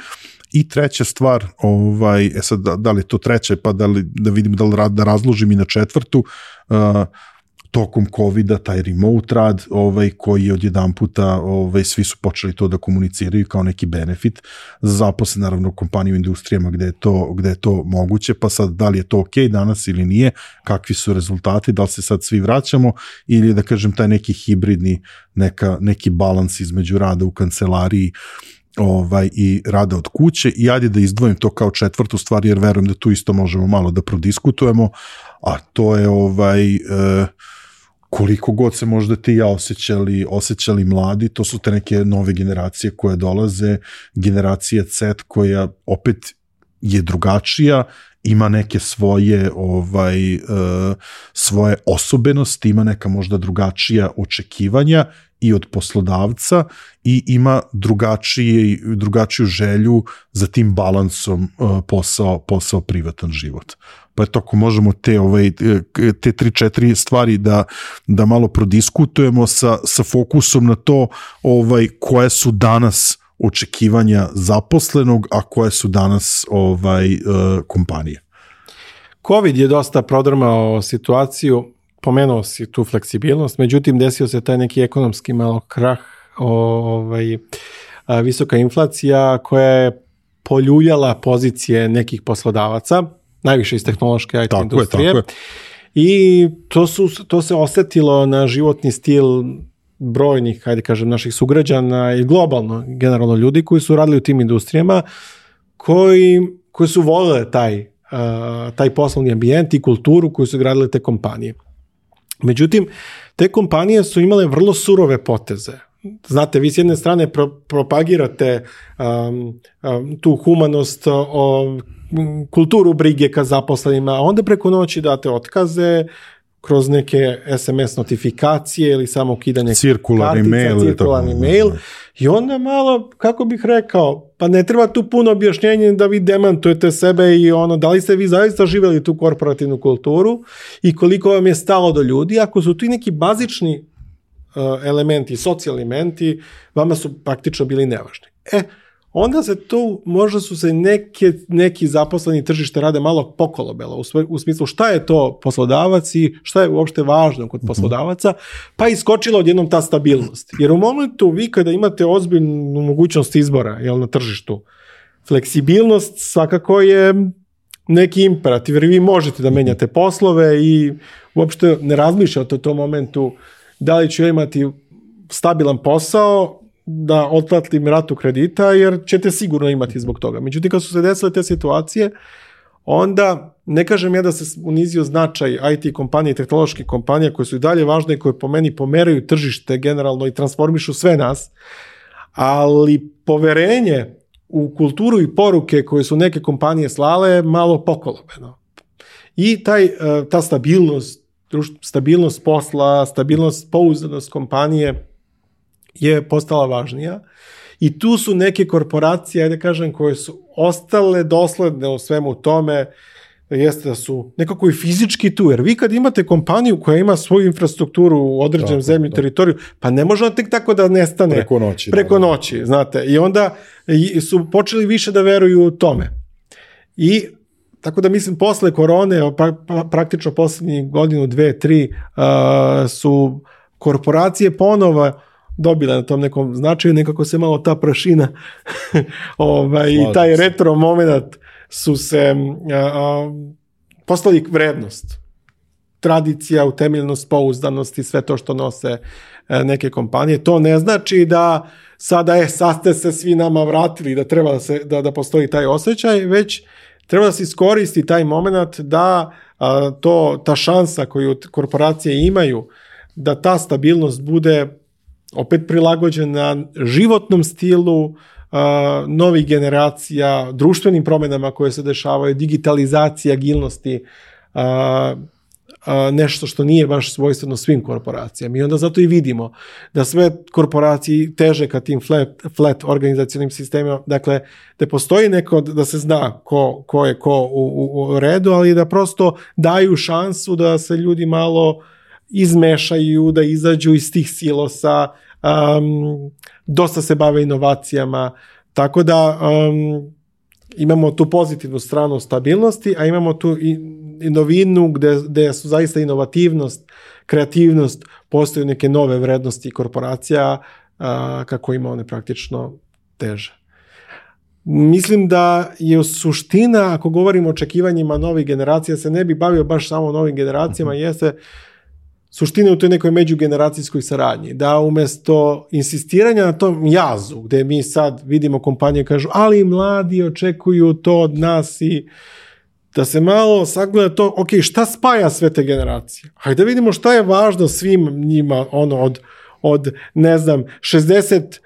I treća stvar, ovaj, e sad, da, da li je to treća, pa da, li, da vidim da li rad, da razložim i na četvrtu, uh, tokom covida, taj remote rad, ovaj, koji je odjedan puta, ovaj, svi su počeli to da komuniciraju kao neki benefit za zaposle, naravno, u kompaniju, industrijama gde je, to, gde je to moguće, pa sad, da li je to ok danas ili nije, kakvi su rezultati, da li se sad svi vraćamo, ili da kažem, taj neki hibridni, neka, neki balans između rada u kancelariji, ovaj, i rada od kuće i ajde da izdvojim to kao četvrtu stvar jer verujem da tu isto možemo malo da prodiskutujemo, a to je ovaj, e, koliko god se možda ti i ja osjećali, osjećali mladi, to su te neke nove generacije koje dolaze, generacija Z koja opet je drugačija, ima neke svoje ovaj, e, svoje osobenosti, ima neka možda drugačija očekivanja i od poslodavca i ima drugačije, drugačiju želju za tim balansom uh, posao, posao privatan život. Pa eto, ako možemo te, ovaj, te tri, četiri stvari da, da malo prodiskutujemo sa, sa fokusom na to ovaj, koje su danas očekivanja zaposlenog, a koje su danas ovaj, uh, kompanije. Covid je dosta prodrmao situaciju, pomenuo si tu fleksibilnost, međutim desio se taj neki ekonomski malo krah, ovaj, visoka inflacija koja je poljuljala pozicije nekih poslodavaca, najviše iz tehnološke I T tako industrije. Je, tako je. I to, su, to se osetilo na životni stil brojnih, hajde kažem, naših sugrađana i globalno, generalno ljudi koji su radili u tim industrijama, koji, koji su volele taj, uh, taj poslovni ambijent i kulturu koju su gradile te kompanije. Međutim, te kompanije su imale vrlo surove poteze. Znate, vi s jedne strane pro, propagirate um, um, tu humanost, o, kulturu brige ka zaposlenima, a onda preko noći date otkaze kroz neke S M S notifikacije ili samo ukidanje cirkularni mail, cirkularni mail. I onda malo, kako bih rekao, pa ne treba tu puno objašnjenja da vi demantujete sebe i ono, da li ste vi zaista živjeli tu korporativnu kulturu i koliko vam je stalo do ljudi, ako su ti neki bazični uh, elementi, socijalni elementi, vama su praktično bili nevažni. E, onda se tu, možda su se neke, neki zaposleni tržište rade malo pokolobelo, u, sve, u smislu šta je to poslodavac i šta je uopšte važno kod poslodavaca, pa iskočila odjednom ta stabilnost. Jer u momentu vi kada imate ozbiljnu mogućnost izbora, jel, na tržištu, fleksibilnost svakako je neki imperativ, jer vi možete da menjate poslove i uopšte ne razmišljate u tom momentu da li ću imati stabilan posao, da otplatim ratu kredita, jer ćete sigurno imati zbog toga. Međutim, kad su se desile te situacije, onda ne kažem ja da se unizio značaj I T kompanije i tehnoloških kompanija koje su i dalje važne i koje po meni pomeraju tržište generalno i transformišu sve nas, ali poverenje u kulturu i poruke koje su neke kompanije slale malo pokolobeno. I taj, ta stabilnost, stabilnost posla, stabilnost, pouzdanost kompanije je postala važnija i tu su neke korporacije, ajde kažem, koje su ostale dosledne u svemu tome, jeste da su nekako i fizički tu, jer vi kad imate kompaniju koja ima svoju infrastrukturu u određenom zemlju i teritoriju, pa ne može tek tako da nestane preko noći, preko noći, znate, i onda su počeli više da veruju u tome. I tako da mislim, posle korone, praktično poslednjih godinu, dve, tri, uh, su korporacije ponovo dobile na tom nekom značaju, nekako se malo ta prašina ovaj, i taj retro moment su se uh, postali vrednost. Tradicija, utemeljenost, pouzdanost i sve to što nose uh, neke kompanije. To ne znači da sada, e, sad ste se svi nama vratili, da treba da, se, da, da postoji taj osjećaj, već treba da se iskoristi taj moment da a, to, ta šansa koju korporacije imaju, da ta stabilnost bude opet prilagođena životnom stilu a, novih generacija, društvenim promenama koje se dešavaju, digitalizacija, agilnosti, a, a, nešto što nije baš svojstveno svim korporacijama. I onda zato i vidimo da sve korporacije teže ka tim flat, flat organizacionim sistemima, dakle, da postoji neko, da se zna ko, ko je ko u, u, u redu, ali da prosto daju šansu da se ljudi malo izmešaju, da izađu iz tih silosa, um, dosta se bave inovacijama, tako da um, imamo tu pozitivnu stranu stabilnosti, a imamo tu i, i novinu gde, gde su zaista inovativnost, kreativnost, postoje neke nove vrednosti korporacija, a, kako ima one praktično teže. Mislim da je suština, ako govorimo o očekivanjima novih generacija, se ne bi bavio baš samo novim generacijama, jeste suština u toj nekoj međugeneracijskoj saradnji, da umjesto insistiranja na tom jazu, gde mi sad vidimo kompanije kažu, ali mladi očekuju to od nas, i da se malo sagleda to, ok, šta spaja sve te generacije? Hajde da vidimo šta je važno svim njima, ono, od, od ne znam, šezdeset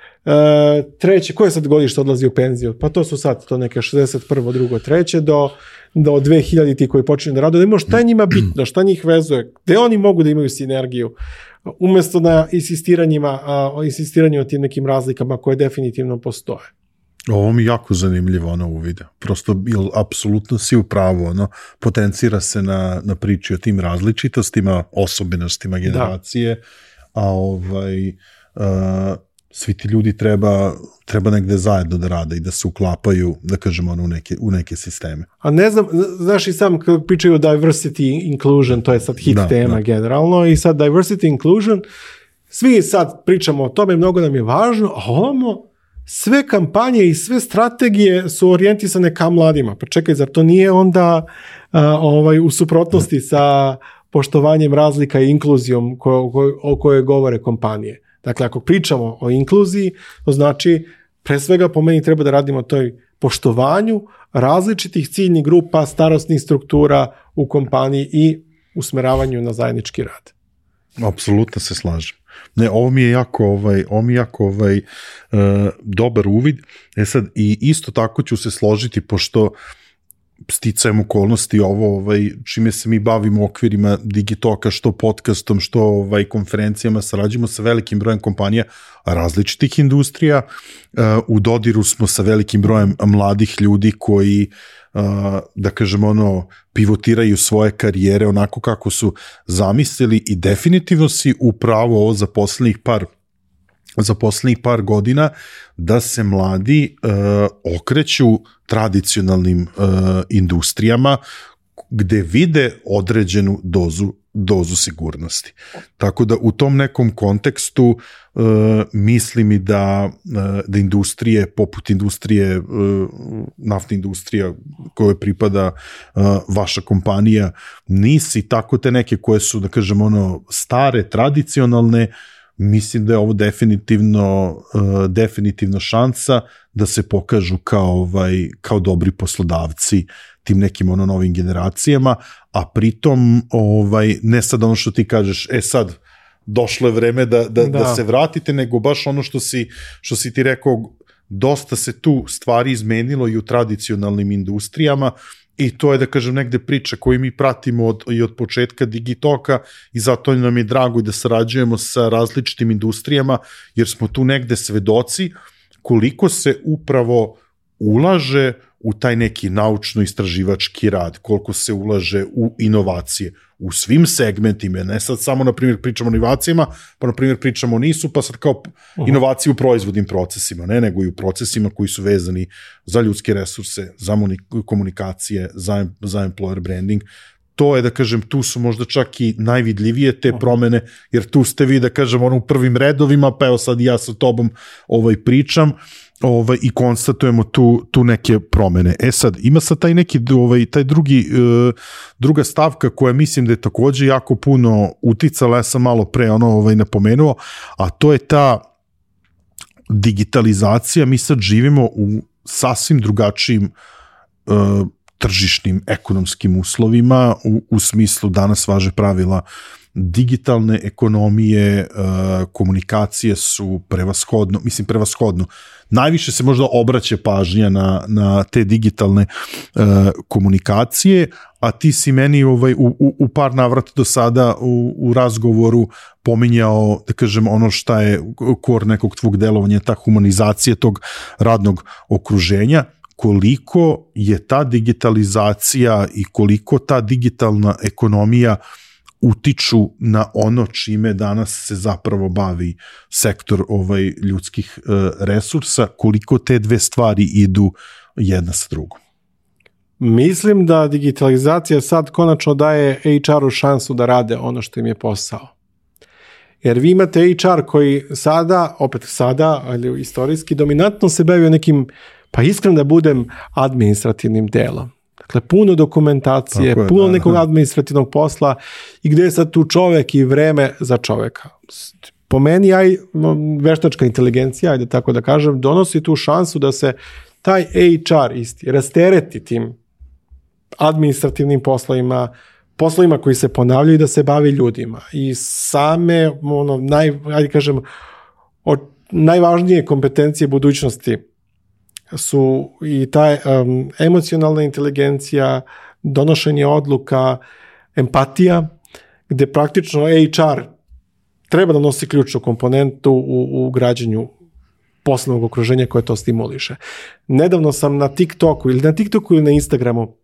treće, koje sad godište odlazi u penziju? Pa to su sad to neke šezdeset prvo, drugo, treće do, do dve hiljadite koji počinju da rade, da imamo šta je njima bitno, šta njih vezuje, gde oni mogu da imaju sinergiju, umjesto na insistiranjima, a, insistiranju o tim nekim razlikama koje definitivno postoje. Ovo mi je jako zanimljivo, ono, u videu. Prosto, ili apsolutno si u pravu, ono, potencira se na, na priči o tim različitostima, osobenostima generacije, da. A ovaj... Uh, svi ti ljudi treba, treba negde zajedno da rade i da se uklapaju, da kažemo, u neke, u neke sisteme. A ne znam, znaš i sam kad pričaju o diversity inclusion, to je sad hit da, tema da. Generalno, i sad diversity inclusion, svi sad pričamo o tome, mnogo nam je važno, a ovamo sve kampanje i sve strategije su orijentisane ka mladima. Pa čekaj, zar to nije onda a, ovaj, u suprotnosti sa poštovanjem razlika i inkluzijom ko, ko, o kojoj govore kompanije? Dakle, ako pričamo o inkluziji, to znači, pre svega po meni treba da radimo o toj poštovanju različitih ciljnih grupa, starosnih struktura u kompaniji i usmeravanju na zajednički rad. Apsolutno se slažem. Ne, ovo mi je jako, ovaj, ovo mi je jako ovaj, uh, dobar uvid. E sad, i isto tako ću se složiti, pošto sticajem okolnosti ovo, ovaj, čime se mi bavimo u okvirima Digitoka, što podcastom, što ovaj, konferencijama, sarađujemo sa velikim brojem kompanija različitih industrija, uh, u dodiru smo sa velikim brojem mladih ljudi koji, uh, da kažem, ono, pivotiraju svoje karijere onako kako su zamislili, i definitivno si upravo ovo za poslednjih par za poslednjih par godina da se mladi uh, okreću tradicionalnim uh, industrijama gde vide određenu dozu dozu sigurnosti. Tako da u tom nekom kontekstu uh, mislim i da, uh, da industrije, poput industrije, uh, naftna industrija kojoj pripada uh, vaša kompanija, nisi tako te neke koje su, da kažem, ono, stare, tradicionalne, mislim da je ovo definitivno, uh, definitivno šansa da se pokažu kao, ovaj, kao dobri poslodavci tim nekim ono novim generacijama, a pritom ovaj, ne sad ono što ti kažeš, e sad došlo je vreme da, da, da. da se vratite, nego baš ono što si, što si ti rekao, dosta se tu stvari izmenilo i u tradicionalnim industrijama, i to je, da kažem, negde priča koju mi pratimo od, i od početka Digitoka, i zato nam je drago da sarađujemo sa različitim industrijama, jer smo tu negde svedoci koliko se upravo ulaže u taj neki naučno-istraživački rad, koliko se ulaže u inovacije, u svim segmentima, ne sad samo, na primjer, pričamo o inovacijama, pa, na primjer, pričamo o nisu, pa sad kao inovacije u proizvodnim procesima, ne, nego i u procesima koji su vezani za ljudske resurse, za komunikacije, za, za employer branding. To je, da kažem, tu su možda čak i najvidljivije te promene, jer tu ste vi, da kažem, ono u prvim redovima, pa evo sad ja sa tobom ovaj, pričam, ovaj, i konstatujemo tu, tu neke promene. E sad, ima sad taj neki, ovaj, taj drugi, uh, druga stavka koja mislim da je takođe jako puno uticala, ja sam malo pre ono ovaj, napomenuo, a to je ta digitalizacija. Mi sad živimo u sasvim drugačijim uh, tržišnim ekonomskim uslovima, u, u smislu danas važe pravila digitalne ekonomije, komunikacije su prevashodno, mislim prevashodno, najviše se možda obraća pažnja na, na te digitalne komunikacije, a ti si meni ovaj, u, u, u par navrata do sada u, u razgovoru pominjao, da kažem, ono šta je kor nekog tvog delovanja, ta humanizacija tog radnog okruženja. Koliko je ta digitalizacija i koliko ta digitalna ekonomija utiču na ono čime danas se zapravo bavi sektor ovaj ljudskih resursa, koliko te dve stvari idu jedna sa drugom? Mislim da digitalizacija sad konačno daje H R-u šansu da rade ono što im je posao. Jer vi imate H R koji sada, opet sada, ali istorijski, dominantno se bavio nekim, pa iskreno da budem, administrativnim delom. Dakle, puno dokumentacije, je, puno da, nekog da. administrativnog posla, i gde je sad tu čovek i vreme za čoveka. Po meni, aj, veštačka inteligencija, ajde tako da kažem, donosi tu šansu da se taj H R isti rastereti tim administrativnim poslovima, poslovima koji se ponavljaju, da se bavi ljudima. I same, ono, naj, ajde kažem, od najvažnije kompetencije budućnosti su i taj um, emocionalna inteligencija, donošenje odluka, empatija, gde praktično H R treba da nosi ključnu komponentu u, u građenju poslovnog okruženja koje to stimuliše. Nedavno sam na TikToku ili na TikToku ili na Instagramu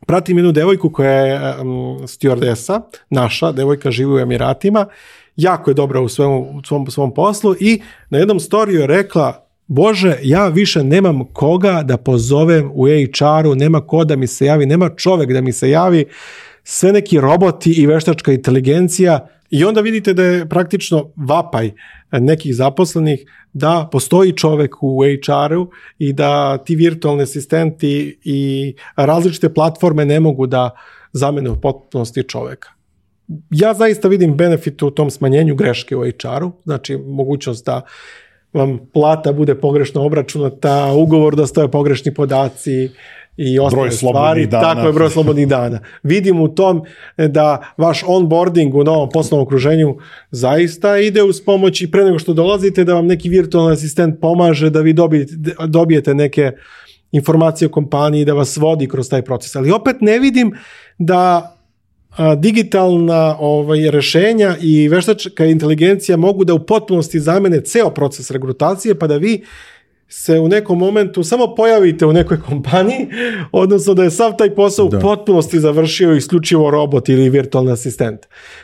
pratim jednu devojku koja je um, stewardesa, naša devojka, živi u Emiratima, jako je dobra u svom, u svom, svom poslu, i na jednom storiju je rekla: Bože, ja više nemam koga da pozovem u H R-u, nema ko da mi se javi, nema čovek da mi se javi, sve neki roboti i veštačka inteligencija. I onda vidite da je praktično vapaj nekih zaposlenih da postoji čovek u H R-u i da ti virtualni asistenti i različite platforme ne mogu da zamene u potpunosti čoveka. Ja zaista vidim benefit u tom smanjenju greške u H R-u, znači mogućnost da vam plata bude pogrešno obračunata, ugovor da stoje pogrešni podaci i ostale stvari. Tako je, broj slobodnih dana. Vidim u tom da vaš onboarding u novom poslovnom okruženju zaista ide uz pomoć, i pre nego što dolazite da vam neki virtualni asistent pomaže da vi dobijete, dobijete neke informacije o kompaniji, da vas vodi kroz taj proces. Ali opet ne vidim da digitalna ovaj, rešenja i veštačka inteligencija mogu da u potpunosti zamene ceo proces regrutacije, pa da vi se u nekom momentu samo pojavite u nekoj kompaniji, odnosno da je sav taj posao da. u potpunosti završio isključivo robot ili virtualni asistent.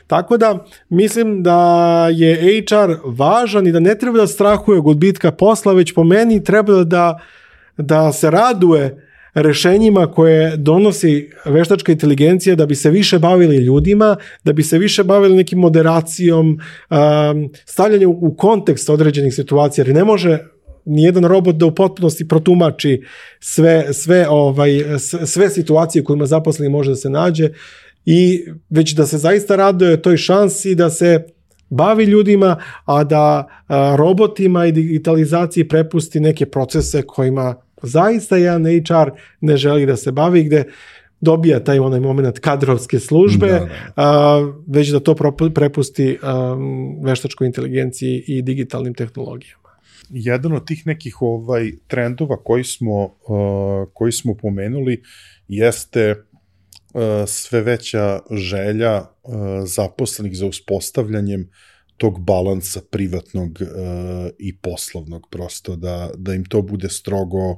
Tako da mislim da je H R važan i da ne treba da strahuje od gubitka posla, već po meni treba da, da se raduje rešenjima koje donosi veštačka inteligencija da bi se više bavili ljudima, da bi se više bavili nekim moderacijom, um, stavljanjem u kontekst određenih situacija, jer ne može nijedan robot da u potpunosti protumači sve, sve, ovaj, sve situacije kojima zaposleni može da se nađe i već da se zaista raduje toj šansi da se bavi ljudima, a da a, robotima i digitalizaciji prepusti neke procese kojima zaista jedan H R ne želi da se bavi, gde dobija taj onaj moment kadrovske službe, da, da. A, već da to prepusti a, veštačkoj inteligenciji i digitalnim tehnologijama. Jedan od tih nekih ovaj trendova koji smo, uh, koji smo pomenuli jeste uh, sve veća želja uh, zaposlenih za uspostavljanjem tog balansa privatnog uh, i poslovnog, prosto da, da im to bude strogo uh,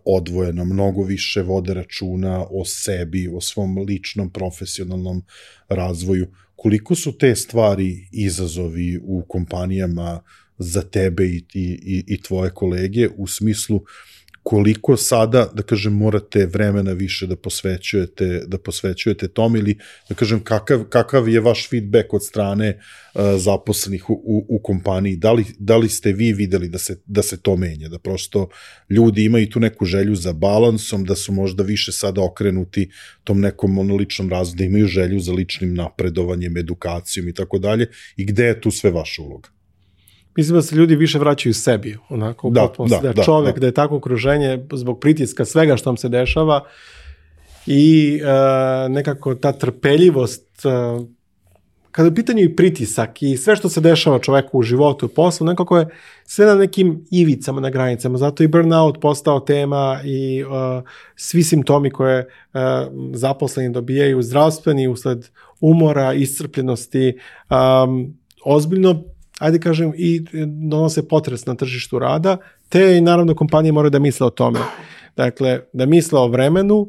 odvojeno, mnogo više vode računa o sebi, o svom ličnom profesionalnom razvoju. Koliko su te stvari izazovi u kompanijama za tebe i, i, i tvoje kolege, u smislu koliko sada, da kažem, morate vremena više da posvećujete, da posvećujete tom, ili da kažem, kakav, kakav je vaš feedback od strane uh, zaposlenih u, u, u kompaniji? Da li, da li ste vi videli da se, da se to menja, da prosto ljudi imaju tu neku želju za balansom, da su možda više sada okrenuti tom nekom monoličnom razvoju, da imaju želju za ličnim napredovanjem, edukacijom i tako dalje, i gde je tu sve vaša uloga? Mislim da se ljudi više vraćaju sebi, onako, da, da, da, da čovek, da. da je tako okruženje zbog pritiska svega što vam se dešava i uh, nekako ta trpeljivost, uh, kada je u pitanju i pritisak i sve što se dešava čoveku u životu i poslu, nekako je sve na nekim ivicama, na granicama, zato i burnout postao tema i uh, svi simptomi koje uh, zaposleni dobijaju, zdravstveni, usled umora, iscrpljenosti, um, ozbiljno, ajde kažem, i donose potres na tržištu rada, te i naravno kompanije moraju da misle o tome. Dakle, da misle o vremenu,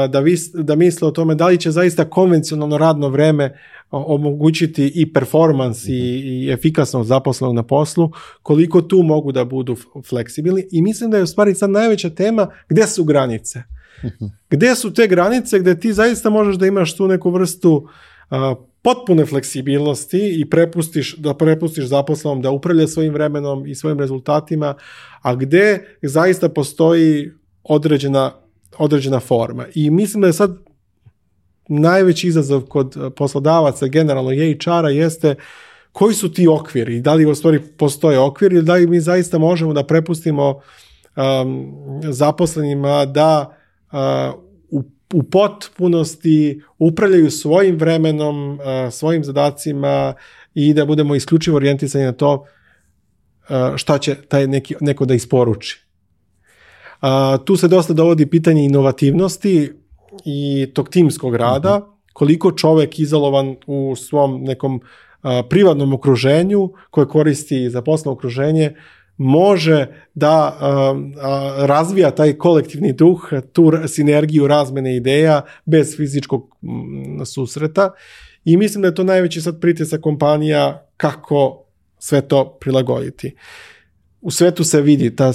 da, vis, da misle o tome da li će zaista konvencionalno radno vreme omogućiti i performans i, i efikasnost zaposlenog na poslu, koliko tu mogu da budu fleksibilni. I mislim da je u stvari sad najveća tema gde su granice. Gde su te granice gde ti zaista možeš da imaš tu neku vrstu uh, potpune fleksibilnosti i prepustiš, da prepustiš zaposlenom da upravlja svojim vremenom i svojim rezultatima, a gde zaista postoji određena, određena forma. I mislim da je sad najveći izazov kod poslodavaca, generalno i H R-a, jeste koji su ti okviri i da li u stvari postoje okvir ili da li mi zaista možemo da prepustimo um, zaposlenima da uh, u u potpunosti upravljaju svojim vremenom, svojim zadacima i da budemo isključivo orijentisani na to šta će taj neki, neko da isporuči. Tu se dosta dovodi pitanje inovativnosti i tog timskog rada, mm-hmm. koliko čovek izolovan u svom nekom privatnom okruženju koje koristi za poslovno okruženje može da um, razvija taj kolektivni duh, tu sinergiju razmene ideja bez fizičkog m, susreta i mislim da je to najveći sad pritisak kompanija kako sve to prilagoditi. U svetu se vidi ta,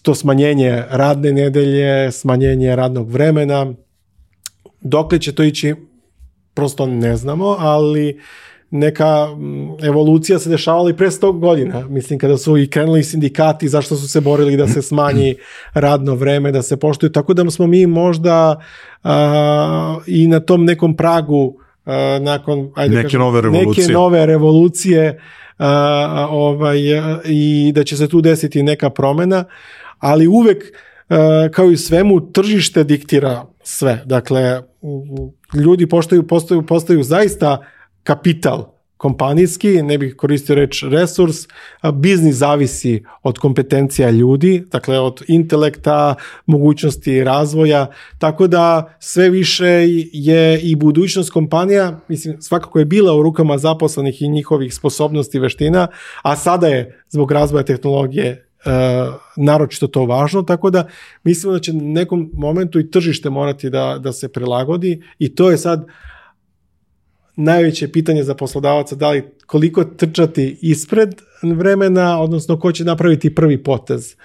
to smanjenje radne nedelje, smanjenje radnog vremena, dokle će to ići prosto ne znamo, ali neka evolucija se dešavala i pre sto godina. Mislim, kada su i krenuli sindikati, zašto su se borili da se smanji radno vreme, da se poštuju. Tako da smo mi možda uh, i na tom nekom pragu uh, nakon ajde neke, kažem, nove revolucije. neke nove revolucije uh, ovaj, i da će se tu desiti neka promena, ali uvek uh, kao i svemu tržište diktira sve. Dakle, ljudi postaju, postaju, postaju zaista kapital kompanijski, ne bih koristio reč resurs, biznis zavisi od kompetencija ljudi, dakle od intelekta, mogućnosti razvoja, tako da sve više je i budućnost kompanija, mislim, svakako je bila u rukama zaposlenih i njihovih sposobnosti i veština, a sada je zbog razvoja tehnologije naročito to važno, tako da mislimo da će na nekom momentu i tržište morati da, da se prilagodi i to je sad najveće pitanje za poslodavaca, da li koliko trčati ispred vremena, odnosno ko će napraviti prvi potez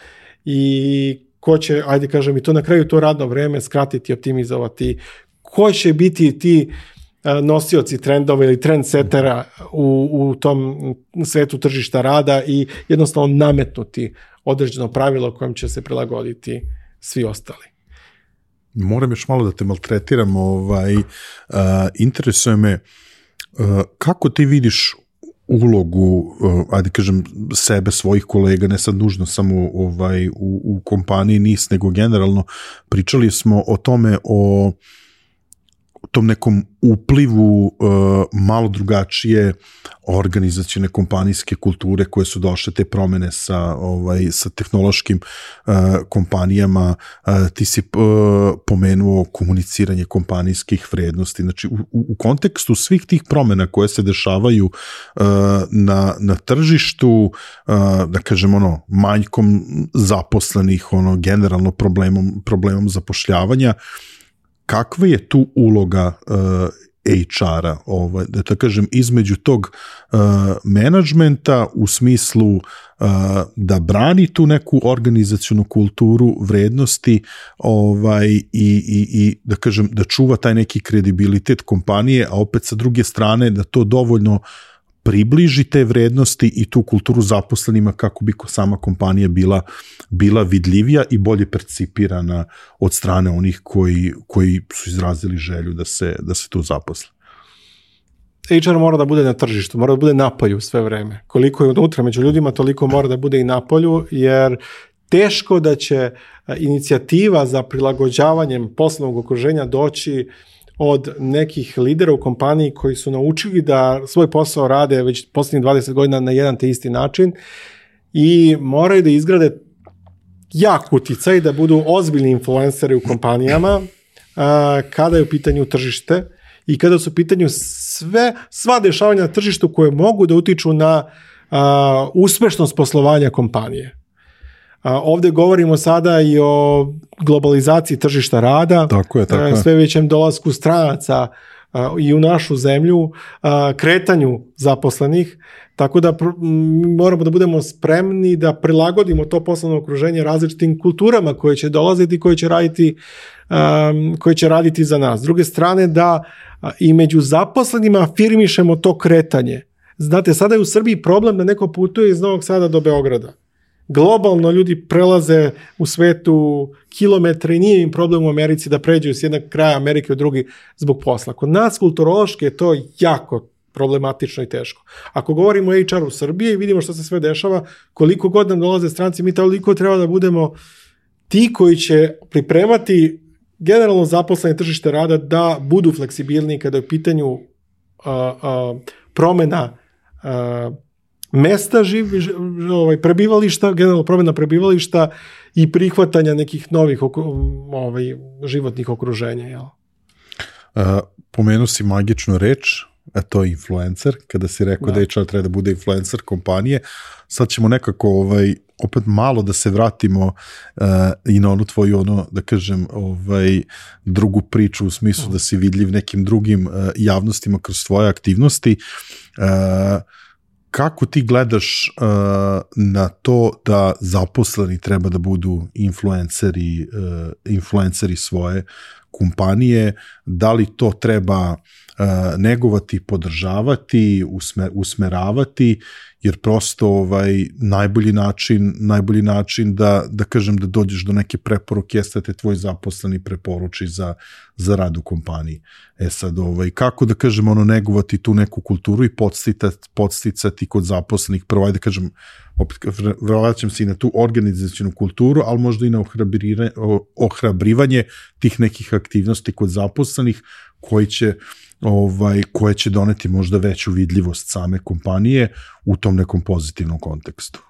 i ko će, ajde kažem i to na kraju to radno vreme skratiti, optimizovati, ko će biti ti nosioci trendova ili trendsetera u, u tom svetu tržišta rada i jednostavno nametnuti određeno pravilo kojem će se prilagoditi svi ostali. Moram još malo da te maltretiram, ovaj, uh, interesuje me uh, kako ti vidiš ulogu, uh, ajde kažem, sebe, svojih kolega, ne sad nužno samo ovaj, u, u kompaniji N I S, nego generalno pričali smo o tome, o tom nekom uplivu uh, malo drugačije organizacione kompanijske kulture koje su došle te promene sa, ovaj, sa tehnološkim uh, kompanijama. Uh, ti si uh, pomenuo komuniciranje kompanijskih vrednosti. Znači, u, u kontekstu svih tih promena koje se dešavaju uh, na, na tržištu, uh, da kažem, ono, manjkom zaposlenih, ono, generalno problemom, problemom zapošljavanja, kakva je tu uloga uh, H R-a, ovaj, da tako kažem, između tog uh, menadžmenta u smislu uh, da brani tu neku organizacionu kulturu vrednosti, ovaj, i, i, i da kažem, da čuva taj neki kredibilitet kompanije, a opet sa druge strane da to dovoljno približi te vrednosti i tu kulturu zaposlenima kako bi sama kompanija bila, bila vidljivija i bolje percipirana od strane onih koji, koji su izrazili želju da se, da se tu zaposle. H R mora da bude na tržištu, mora da bude napolju sve vreme. Koliko je unutra među ljudima, toliko mora da bude i napolju, jer teško da će inicijativa za prilagođavanjem poslovnog okruženja doći od nekih lidera u kompaniji koji su naučili da svoj posao rade već posljednjih dvadeset godina na jedan te isti način i moraju da izgrade jak uticaj, da budu ozbiljni influenceri u kompanijama a, kada je u pitanju tržište i kada su u pitanju sve, sva dešavanja na tržištu koje mogu da utiču na a, uspešnost poslovanja kompanije. A, ovdje govorimo sada i o globalizaciji tržišta rada, tako je, tako je. Sve većem dolasku stranaca a, i u našu zemlju, a, kretanju zaposlenih, tako da pr- moramo da budemo spremni da prilagodimo to poslovno okruženje različitim kulturama koje će dolaziti i koje će raditi, a, koje će raditi za nas. S druge strane, da a, i među zaposlenima afirmišemo to kretanje. Znate, sada je u Srbiji problem da neko putuje iz Novog Sada do Beograda. Globalno ljudi prelaze u svetu kilometre i nije im problem u Americi da pređu s jednog kraja Amerike u drugi zbog posla. Kod nas kulturološki je to jako problematično i teško. Ako govorimo o H R u Srbiji i vidimo što se sve dešava, koliko god nam dolaze stranci, mi toliko treba da budemo ti koji će pripremati generalno zaposlene tržište rada da budu fleksibilni kada je u pitanju uh, uh, promena uh, mesta živ, ovaj, prebivališta, generalno promjena prebivališta i prihvatanja nekih novih ovaj, životnih okruženja. Jel? Uh, pomenu si magičnu reč, a to je influencer, kada si rekao da, da H R treba da bude influencer kompanije. Sad ćemo nekako ovaj, opet malo da se vratimo uh, i na onu tvoju, ono, da kažem, ovaj, drugu priču u smislu uh. da si vidljiv nekim drugim uh, javnostima kroz svoje aktivnosti. Uh, Kako ti gledaš uh, na to da zaposleni treba da budu influenceri, uh, influenceri svoje kompanije? Da li to treba uh, negovati, podržavati, usmer, usmeravati, jer prosto ovaj, najbolji način, najbolji način da, da kažem da dođeš do neke preporuke jeste da te tvoj zaposleni preporuči za, za rad u kompaniji. E sad, ovaj, kako da kažem, ono, negovati tu neku kulturu i podsticati, podsticati kod zaposlenih, prvo, ajde da kažem, opet vraćam se i na tu organizacionu kulturu, ali možda i na ohrabrivanje tih nekih aktivnosti kod zaposlenih koji će ovaj, koje će doneti možda veću vidljivost same kompanije u tom nekom pozitivnom kontekstu.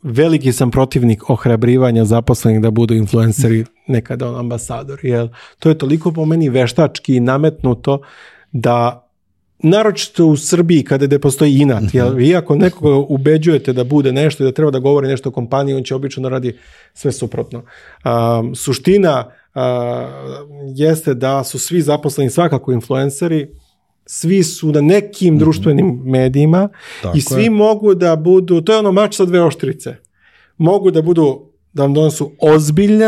Veliki sam protivnik ohrabrivanja zaposlenih da budu influenceri, nekada on ambasador, jer to je toliko po meni veštački nametnuto da naročito u Srbiji kada gde postoji inat, mm-hmm. jer vi ako nekoga ubeđujete da bude nešto i da treba da govori nešto o kompaniji, on će obično da radi sve suprotno. Um, suština uh, jeste da su svi zaposleni svakako influenceri, svi su na nekim mm-hmm. društvenim medijima Tako i svi je. mogu da budu, to je ono mač sa dve oštrice, mogu da budu, da vam donesu ozbiljne,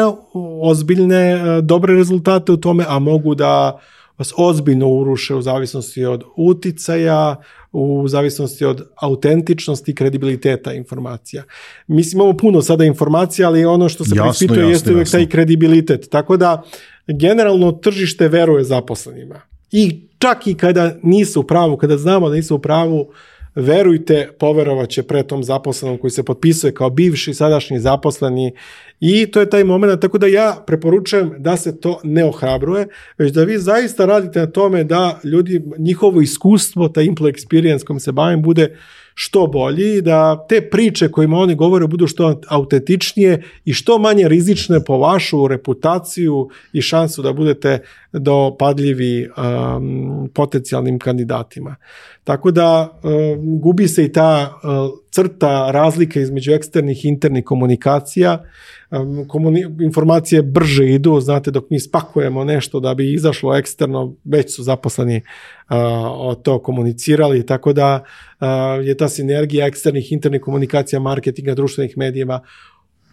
ozbiljne dobre rezultate u tome, a mogu da vas ozbiljno uruše u zavisnosti od uticaja, u zavisnosti od autentičnosti i kredibiliteta informacija. Mislim, imamo puno sada informacija, ali ono što se preispituje jeste uvijek taj kredibilitet. Tako da, generalno, tržište veruje zaposlenima. I čak i kada nisu u pravu, kada znamo da nisu u pravu, verujte, poverovat će pre tom zaposlenom koji se potpisuje kao bivši, sadašnji zaposleni i to je taj moment, tako da ja preporučujem da se to ne ohrabruje, već da vi zaista radite na tome da ljudi, njihovo iskustvo, taj employee experience kojim se bavim, bude što bolji, da te priče kojima oni govore budu što autentičnije i što manje rizične po vašu reputaciju i šansu da budete dopadljivi um, potencijalnim kandidatima. Tako da um, gubi se i ta uh, crta razlika između eksternih i internih komunikacija. Um, komuni- informacije brže idu, znate, dok mi spakujemo nešto da bi izašlo eksterno, već su zaposleni uh, o to komunicirali, tako da uh, je ta sinergija eksternih, internih komunikacija, marketinga, društvenih medijima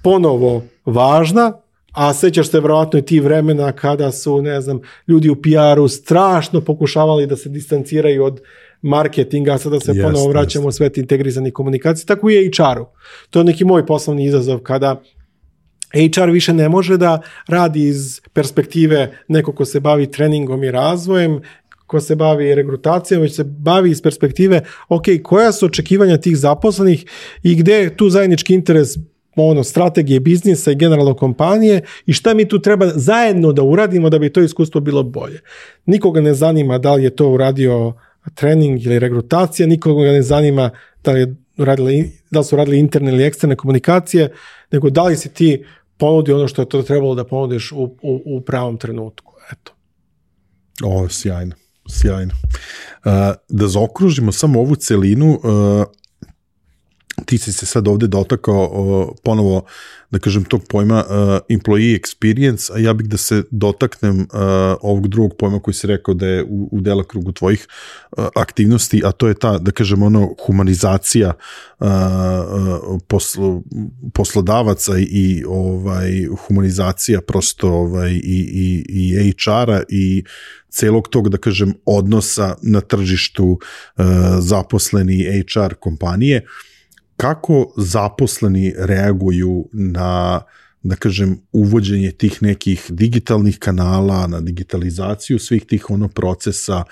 ponovo važna, a sećaš se vjerojatno i ti vremena kada su, ne znam, ljudi u P R-u strašno pokušavali da se distanciraju od marketinga, a sada se yes, ponovo vraćamo yes. u svet integrizanih komunikacija, tako i H R-u. To je neki moj poslovni izazov kada H R više ne može da radi iz perspektive neko ko se bavi treningom i razvojem, ko se bavi regrutacijom, već se bavi iz perspektive, ok, koja su očekivanja tih zaposlenih i gde je tu zajednički interes ono, strategije biznisa i generalno kompanije i šta mi tu treba zajedno da uradimo da bi to iskustvo bilo bolje. Nikoga ne zanima da li je to uradio trening ili regrutacija, nikoga ne zanima da li, je uradili, da li su radili interne ili eksterne komunikacije, nego da li si ti ponudi ono što je to trebalo da ponudiš u, u, u pravom trenutku. Eto. O, sjajno, sjajno. Uh, da zaokružimo samo ovu celinu, uh, ti si se sad ovde dotakao uh, ponovo, da kažem, tog pojma uh, employee experience, a ja bih da se dotaknem uh, ovog drugog pojma koji si rekao da je u, u delokrugu tvojih uh, aktivnosti, a to je ta, da kažem, ono, humanizacija uh, posl, poslodavaca i ovaj humanizacija prosto ovaj, i, i, i H R-a i celog tog, da kažem, odnosa na tržištu uh, zaposleni H R kompanije. Kako zaposleni reaguju na, da kažem, uvođenje tih nekih digitalnih kanala, na digitalizaciju svih tih ono procesa,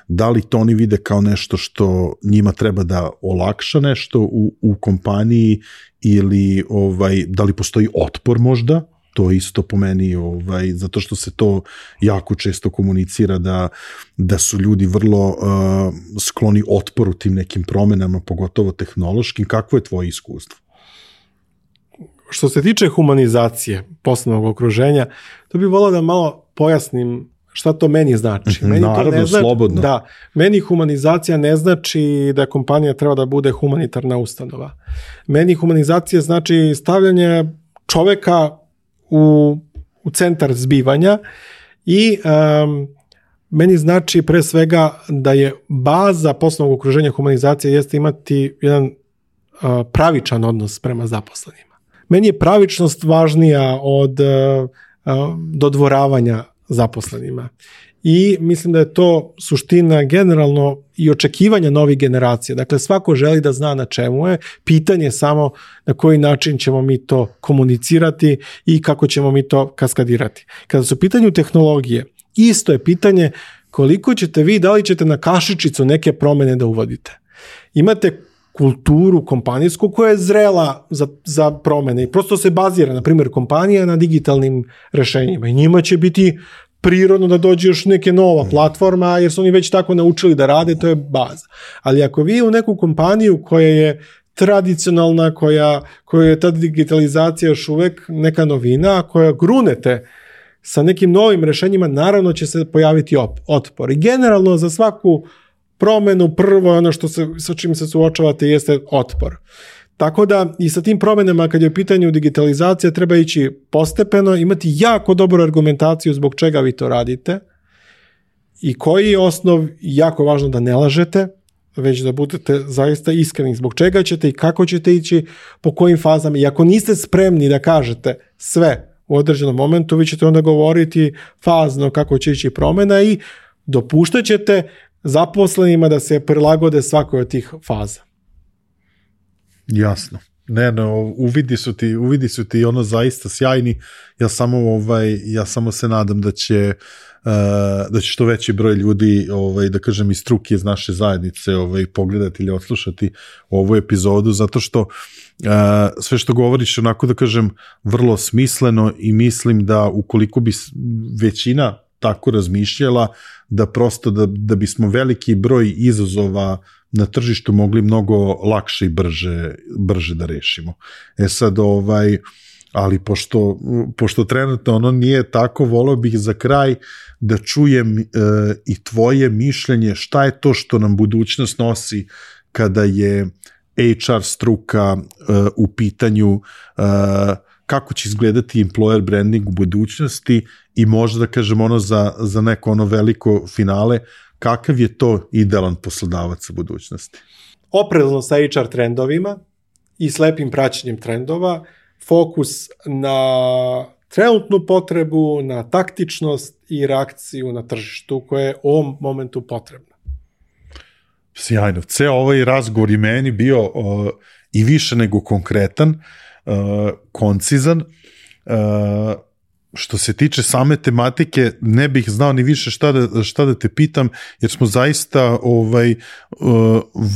da li to oni vide kao nešto što njima treba da olakša nešto u, u kompaniji ili ovaj, da li postoji otpor možda? To isto po meni, ovaj, zato što se to jako često komunicira da, da su ljudi vrlo uh, skloni otporu tim nekim promenama, pogotovo tehnološkim. Kakvo je tvoje iskustvo? Što se tiče humanizacije poslovnog okruženja, to bih volao da malo pojasnim šta to meni znači. Meni Naravno, to ne znači, slobodno. Da, meni humanizacija ne znači da kompanija treba da bude humanitarna ustanova. Meni humanizacija znači stavljanje čoveka u, u centar zbivanja i um, meni znači pre svega da je baza poslovnog okruženja humanizacije jeste imati jedan uh, pravičan odnos prema zaposlenima. Meni je pravičnost važnija od uh, uh, dodvoravanja zaposlenima. I mislim da je to suština generalno i očekivanja novih generacija. Dakle, svako želi da zna na čemu je. Pitanje je samo na koji način ćemo mi to komunicirati i kako ćemo mi to kaskadirati. Kada su u pitanju tehnologije, isto je pitanje koliko ćete vi, da li ćete na kašičicu neke promene da uvodite. Imate kulturu kompanijsku koja je zrela za, za promene i prosto se bazira, na primjer, kompanija na digitalnim rešenjima i njima će biti prirodno da dođe još neke nova platforma, jer su oni već tako naučili da rade, to je baza. Ali ako vi u neku kompaniju koja je tradicionalna, koja, koja je ta digitalizacija još uvek neka novina, koja grunete sa nekim novim rešenjima, naravno će se pojaviti op, otpor. I generalno za svaku promenu, prvo ono što se, sa čim se suočavate jeste otpor. Tako da i sa tim promenama kad je u pitanju digitalizacija treba ići postepeno, imati jako dobru argumentaciju zbog čega vi to radite i koji je osnov, jako važno da ne lažete, već da budete zaista iskreni zbog čega ćete i kako ćete ići, po kojim fazama. I ako niste spremni da kažete sve u određenom momentu, vi ćete onda govoriti fazno kako će ići promjena i dopuštat ćete zaposlenima da se prilagode svakoj od tih faza. Jasno. Ne, no, uvidi su ti, uvidi su ti ono zaista sjajni. Ja samo ovaj ja samo se nadam da će uh, da će što veći broj ljudi, ovaj da kažem iz struke iz naše zajednice, ovaj pogledati ili odslušati ovu epizodu, zato što uh, sve što govoriš onako da kažem vrlo smisleno i mislim da ukoliko bi većina tako razmišljala, da prosto da, da bismo veliki broj izazova na tržištu mogli mnogo lakše i brže, brže da rešimo. E sad, ovaj, ali pošto, pošto trenutno ono nije tako, volio bih za kraj da čujem e, i tvoje mišljenje šta je to što nam budućnost nosi kada je H R struka e, u pitanju, e, kako će izgledati employer branding u budućnosti i možda da kažem ono za, za neko ono veliko finale, kakav je to idealan poslodavac u budućnosti? Oprezno sa H R trendovima i slepim praćenjem trendova, fokus na trenutnu potrebu, na taktičnost i reakciju na tržištu koje je u ovom momentu potrebna. Sjajno. Ceo ovaj razgovor i meni bio uh, i više nego konkretan, uh, koncizan. Uh, Što se tiče same tematike, ne bih znao ni više šta da, šta da te pitam, jer smo zaista ovaj,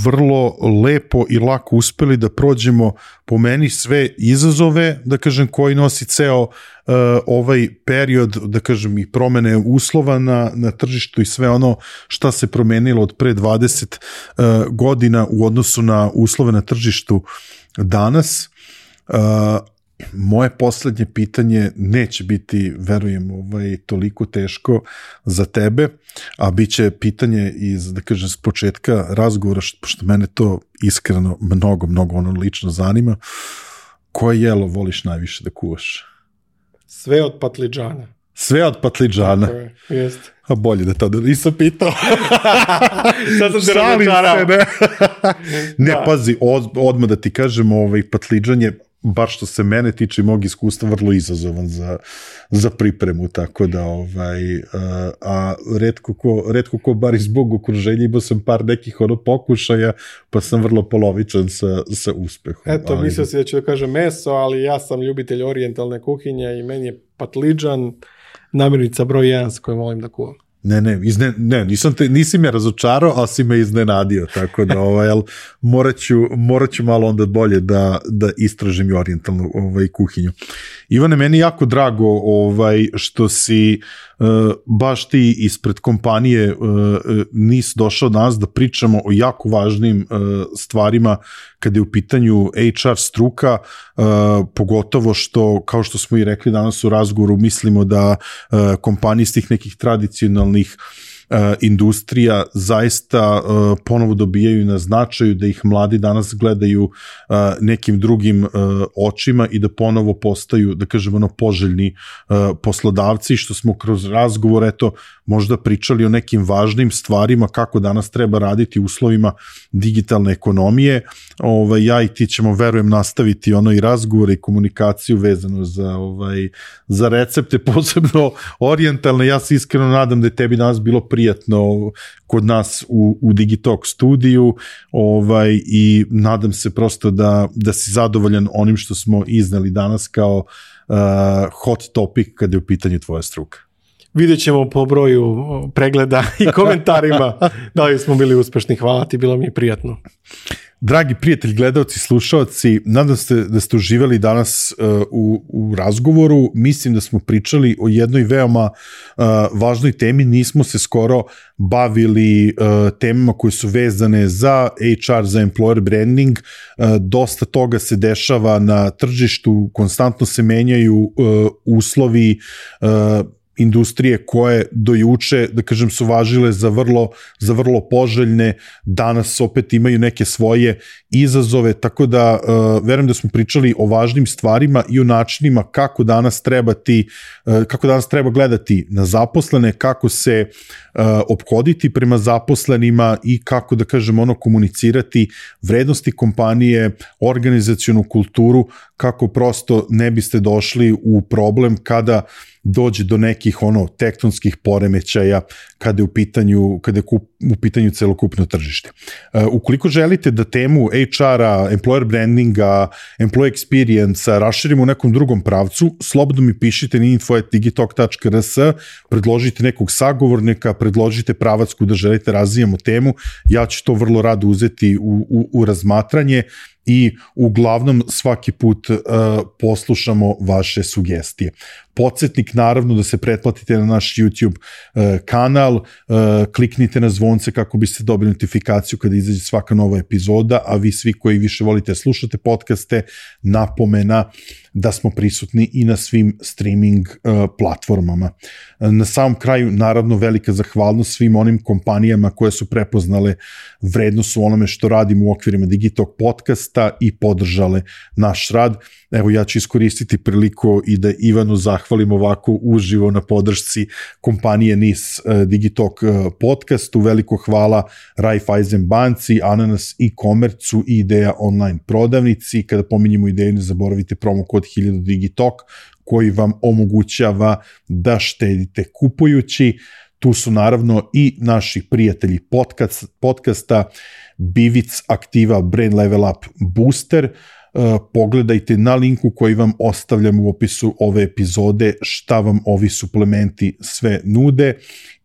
vrlo lepo i lako uspeli da prođemo po meni sve izazove, da kažem, koji nosi ceo ovaj period, da kažem, i promene uslova na, na tržištu i sve ono šta se promenilo od pre dvadeset godina u odnosu na uslove na tržištu danas. Moje poslednje pitanje neće biti, verujem, ovaj, toliko teško za tebe, a bit će pitanje iz, da kažem, s početka razgovora, što, što mene to iskreno mnogo, mnogo ono lično zanima. Koje jelo voliš najviše da kuvaš? Sve od patliđana. Sve od patliđana? Tako je, jeste. A bolje da to da nisam pitao. Sad sam se razočarao. Ne, ne da. Pazi, od, odmah da ti kažem, ovaj, patliđan je, bar što se mene tiče i mog iskustva, vrlo izazovan za, za pripremu, tako da ovaj, a, a retko ko, retko ko bar iz bog okruženja, imao sam par nekih ono pokušaja, pa sam vrlo polovičan sa, sa uspehom. Eto, ali... mislio si da ću da kažem meso, ali ja sam ljubitelj orijentalne kuhinje i meni je patliđan namirnica broj jedan sa kojom volim da kuvam. Ne, ne, izne, ne nisam te, nisi me razočarao, ali si me iznenadio, tako da ovaj, ali morat ću, morat ću malo onda bolje da, da istražim i orijentalnu ovaj, kuhinju. Ivane, meni jako drago ovaj, što si uh, baš ti ispred kompanije uh, nis došao danas da pričamo o jako važnim uh, stvarima kada je u pitanju H R struka, uh, pogotovo što, kao što smo i rekli danas u razgovoru, mislimo da uh, kompanije iz tih nekih tradicionalnih uh, industrija zaista uh, ponovo dobijaju na značaju, da ih mladi danas gledaju uh, nekim drugim uh, očima i da ponovo postaju, da kažemo, ono, poželjni uh, poslodavci, što smo kroz razgovor, eto, možda pričali o nekim važnim stvarima kako danas treba raditi u uslovima digitalne ekonomije. Ovaj, ja i ti ćemo, verujem, nastaviti ono i razgovore i komunikaciju vezano za, ovaj, za recepte, posebno orijentalne. Ja se iskreno nadam da je tebi danas bilo prijatno kod nas u, u Digitalk studiju, ovaj, i nadam se prosto da, da si zadovoljan onim što smo izneli danas kao uh, hot topic kada je u pitanju tvoja struka. Vidjet ćemo po broju pregleda i komentarima da li smo bili uspešni. Hvala ti, bilo mi je prijatno. Dragi prijatelji, gledalci, slušalci, nadam se da ste uživali danas uh, u, u razgovoru. Mislim da smo pričali o jednoj veoma uh, važnoj temi. Nismo se skoro bavili uh, temama koje su vezane za H R, za employer branding. Uh, dosta toga se dešava na tržištu, konstantno se menjaju uh, uslovi, uh, industrije koje do juče, da kažem, su važile za vrlo, za vrlo poželjne, danas opet imaju neke svoje izazove, tako da uh, verujem da smo pričali o važnim stvarima i o načinima kako danas treba ti, uh, kako danas treba gledati na zaposlene, kako se uh, ophoditi prema zaposlenima i kako, da kažem, ono, komunicirati vrednosti kompanije, organizacionu kulturu, kako prosto ne biste došli u problem kada dođe do nekih ono tektonskih poremećaja kada je u pitanju, kada je kup, u pitanju celokupno tržište. Uh, ukoliko želite da temu H R-a, employer brandinga, employee experience-a raširimo u nekom drugom pravcu, slobodno mi pišite na info at digitalk tačka r s, predložite nekog sagovornika, predložite pravac kuda želite razvijamo temu, ja ću to vrlo rado uzeti u, u, u razmatranje i uglavnom svaki put uh, poslušamo vaše sugestije. Podsjetnik naravno da se pretplatite na naš YouTube uh, kanal, uh, kliknite na zvonce kako biste dobili notifikaciju kada izađe svaka nova epizoda, a vi svi koji više volite slušate podcaste, napomena da smo prisutni i na svim streaming uh, platformama. Na samom kraju, naravno, velika zahvalnost svim onim kompanijama koje su prepoznale vrednost u onome što radimo u okvirima Digitalk podcasta i podržale naš rad. Evo, ja ću iskoristiti priliku i da Ivanu zahvalim ovako uživo na podršci kompanije N I S uh, Digitalk uh, podcastu. Veliko hvala Raiffeisen banci, Ananas e-commerce-u i Ideja online prodavnici. Kada pominjemo Ideju, ne zaboravite promo kod hiljadu Digitalk koji vam omogućava da štedite kupujući. Tu su naravno i naši prijatelji podcast, podcasta Bivic Aktiva Brain Level Up Booster. Uh, pogledajte na linku koji vam ostavljam u opisu ove epizode šta vam ovi suplementi sve nude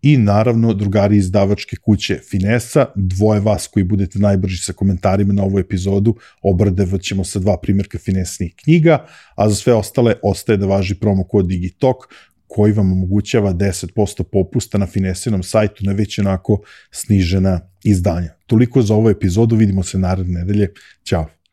i naravno drugari izdavačke kuće Finesa, dvoje vas koji budete najbrži sa komentarima na ovu epizodu obradevat ćemo sa dva primjerka Finesnih knjiga, a za sve ostale ostaje da važi promo kod Digitalk koji vam omogućava deset posto popusta na Finesinom sajtu na već onako snižena izdanja. Toliko za ovu epizodu, vidimo se naredne nedelje, ćao!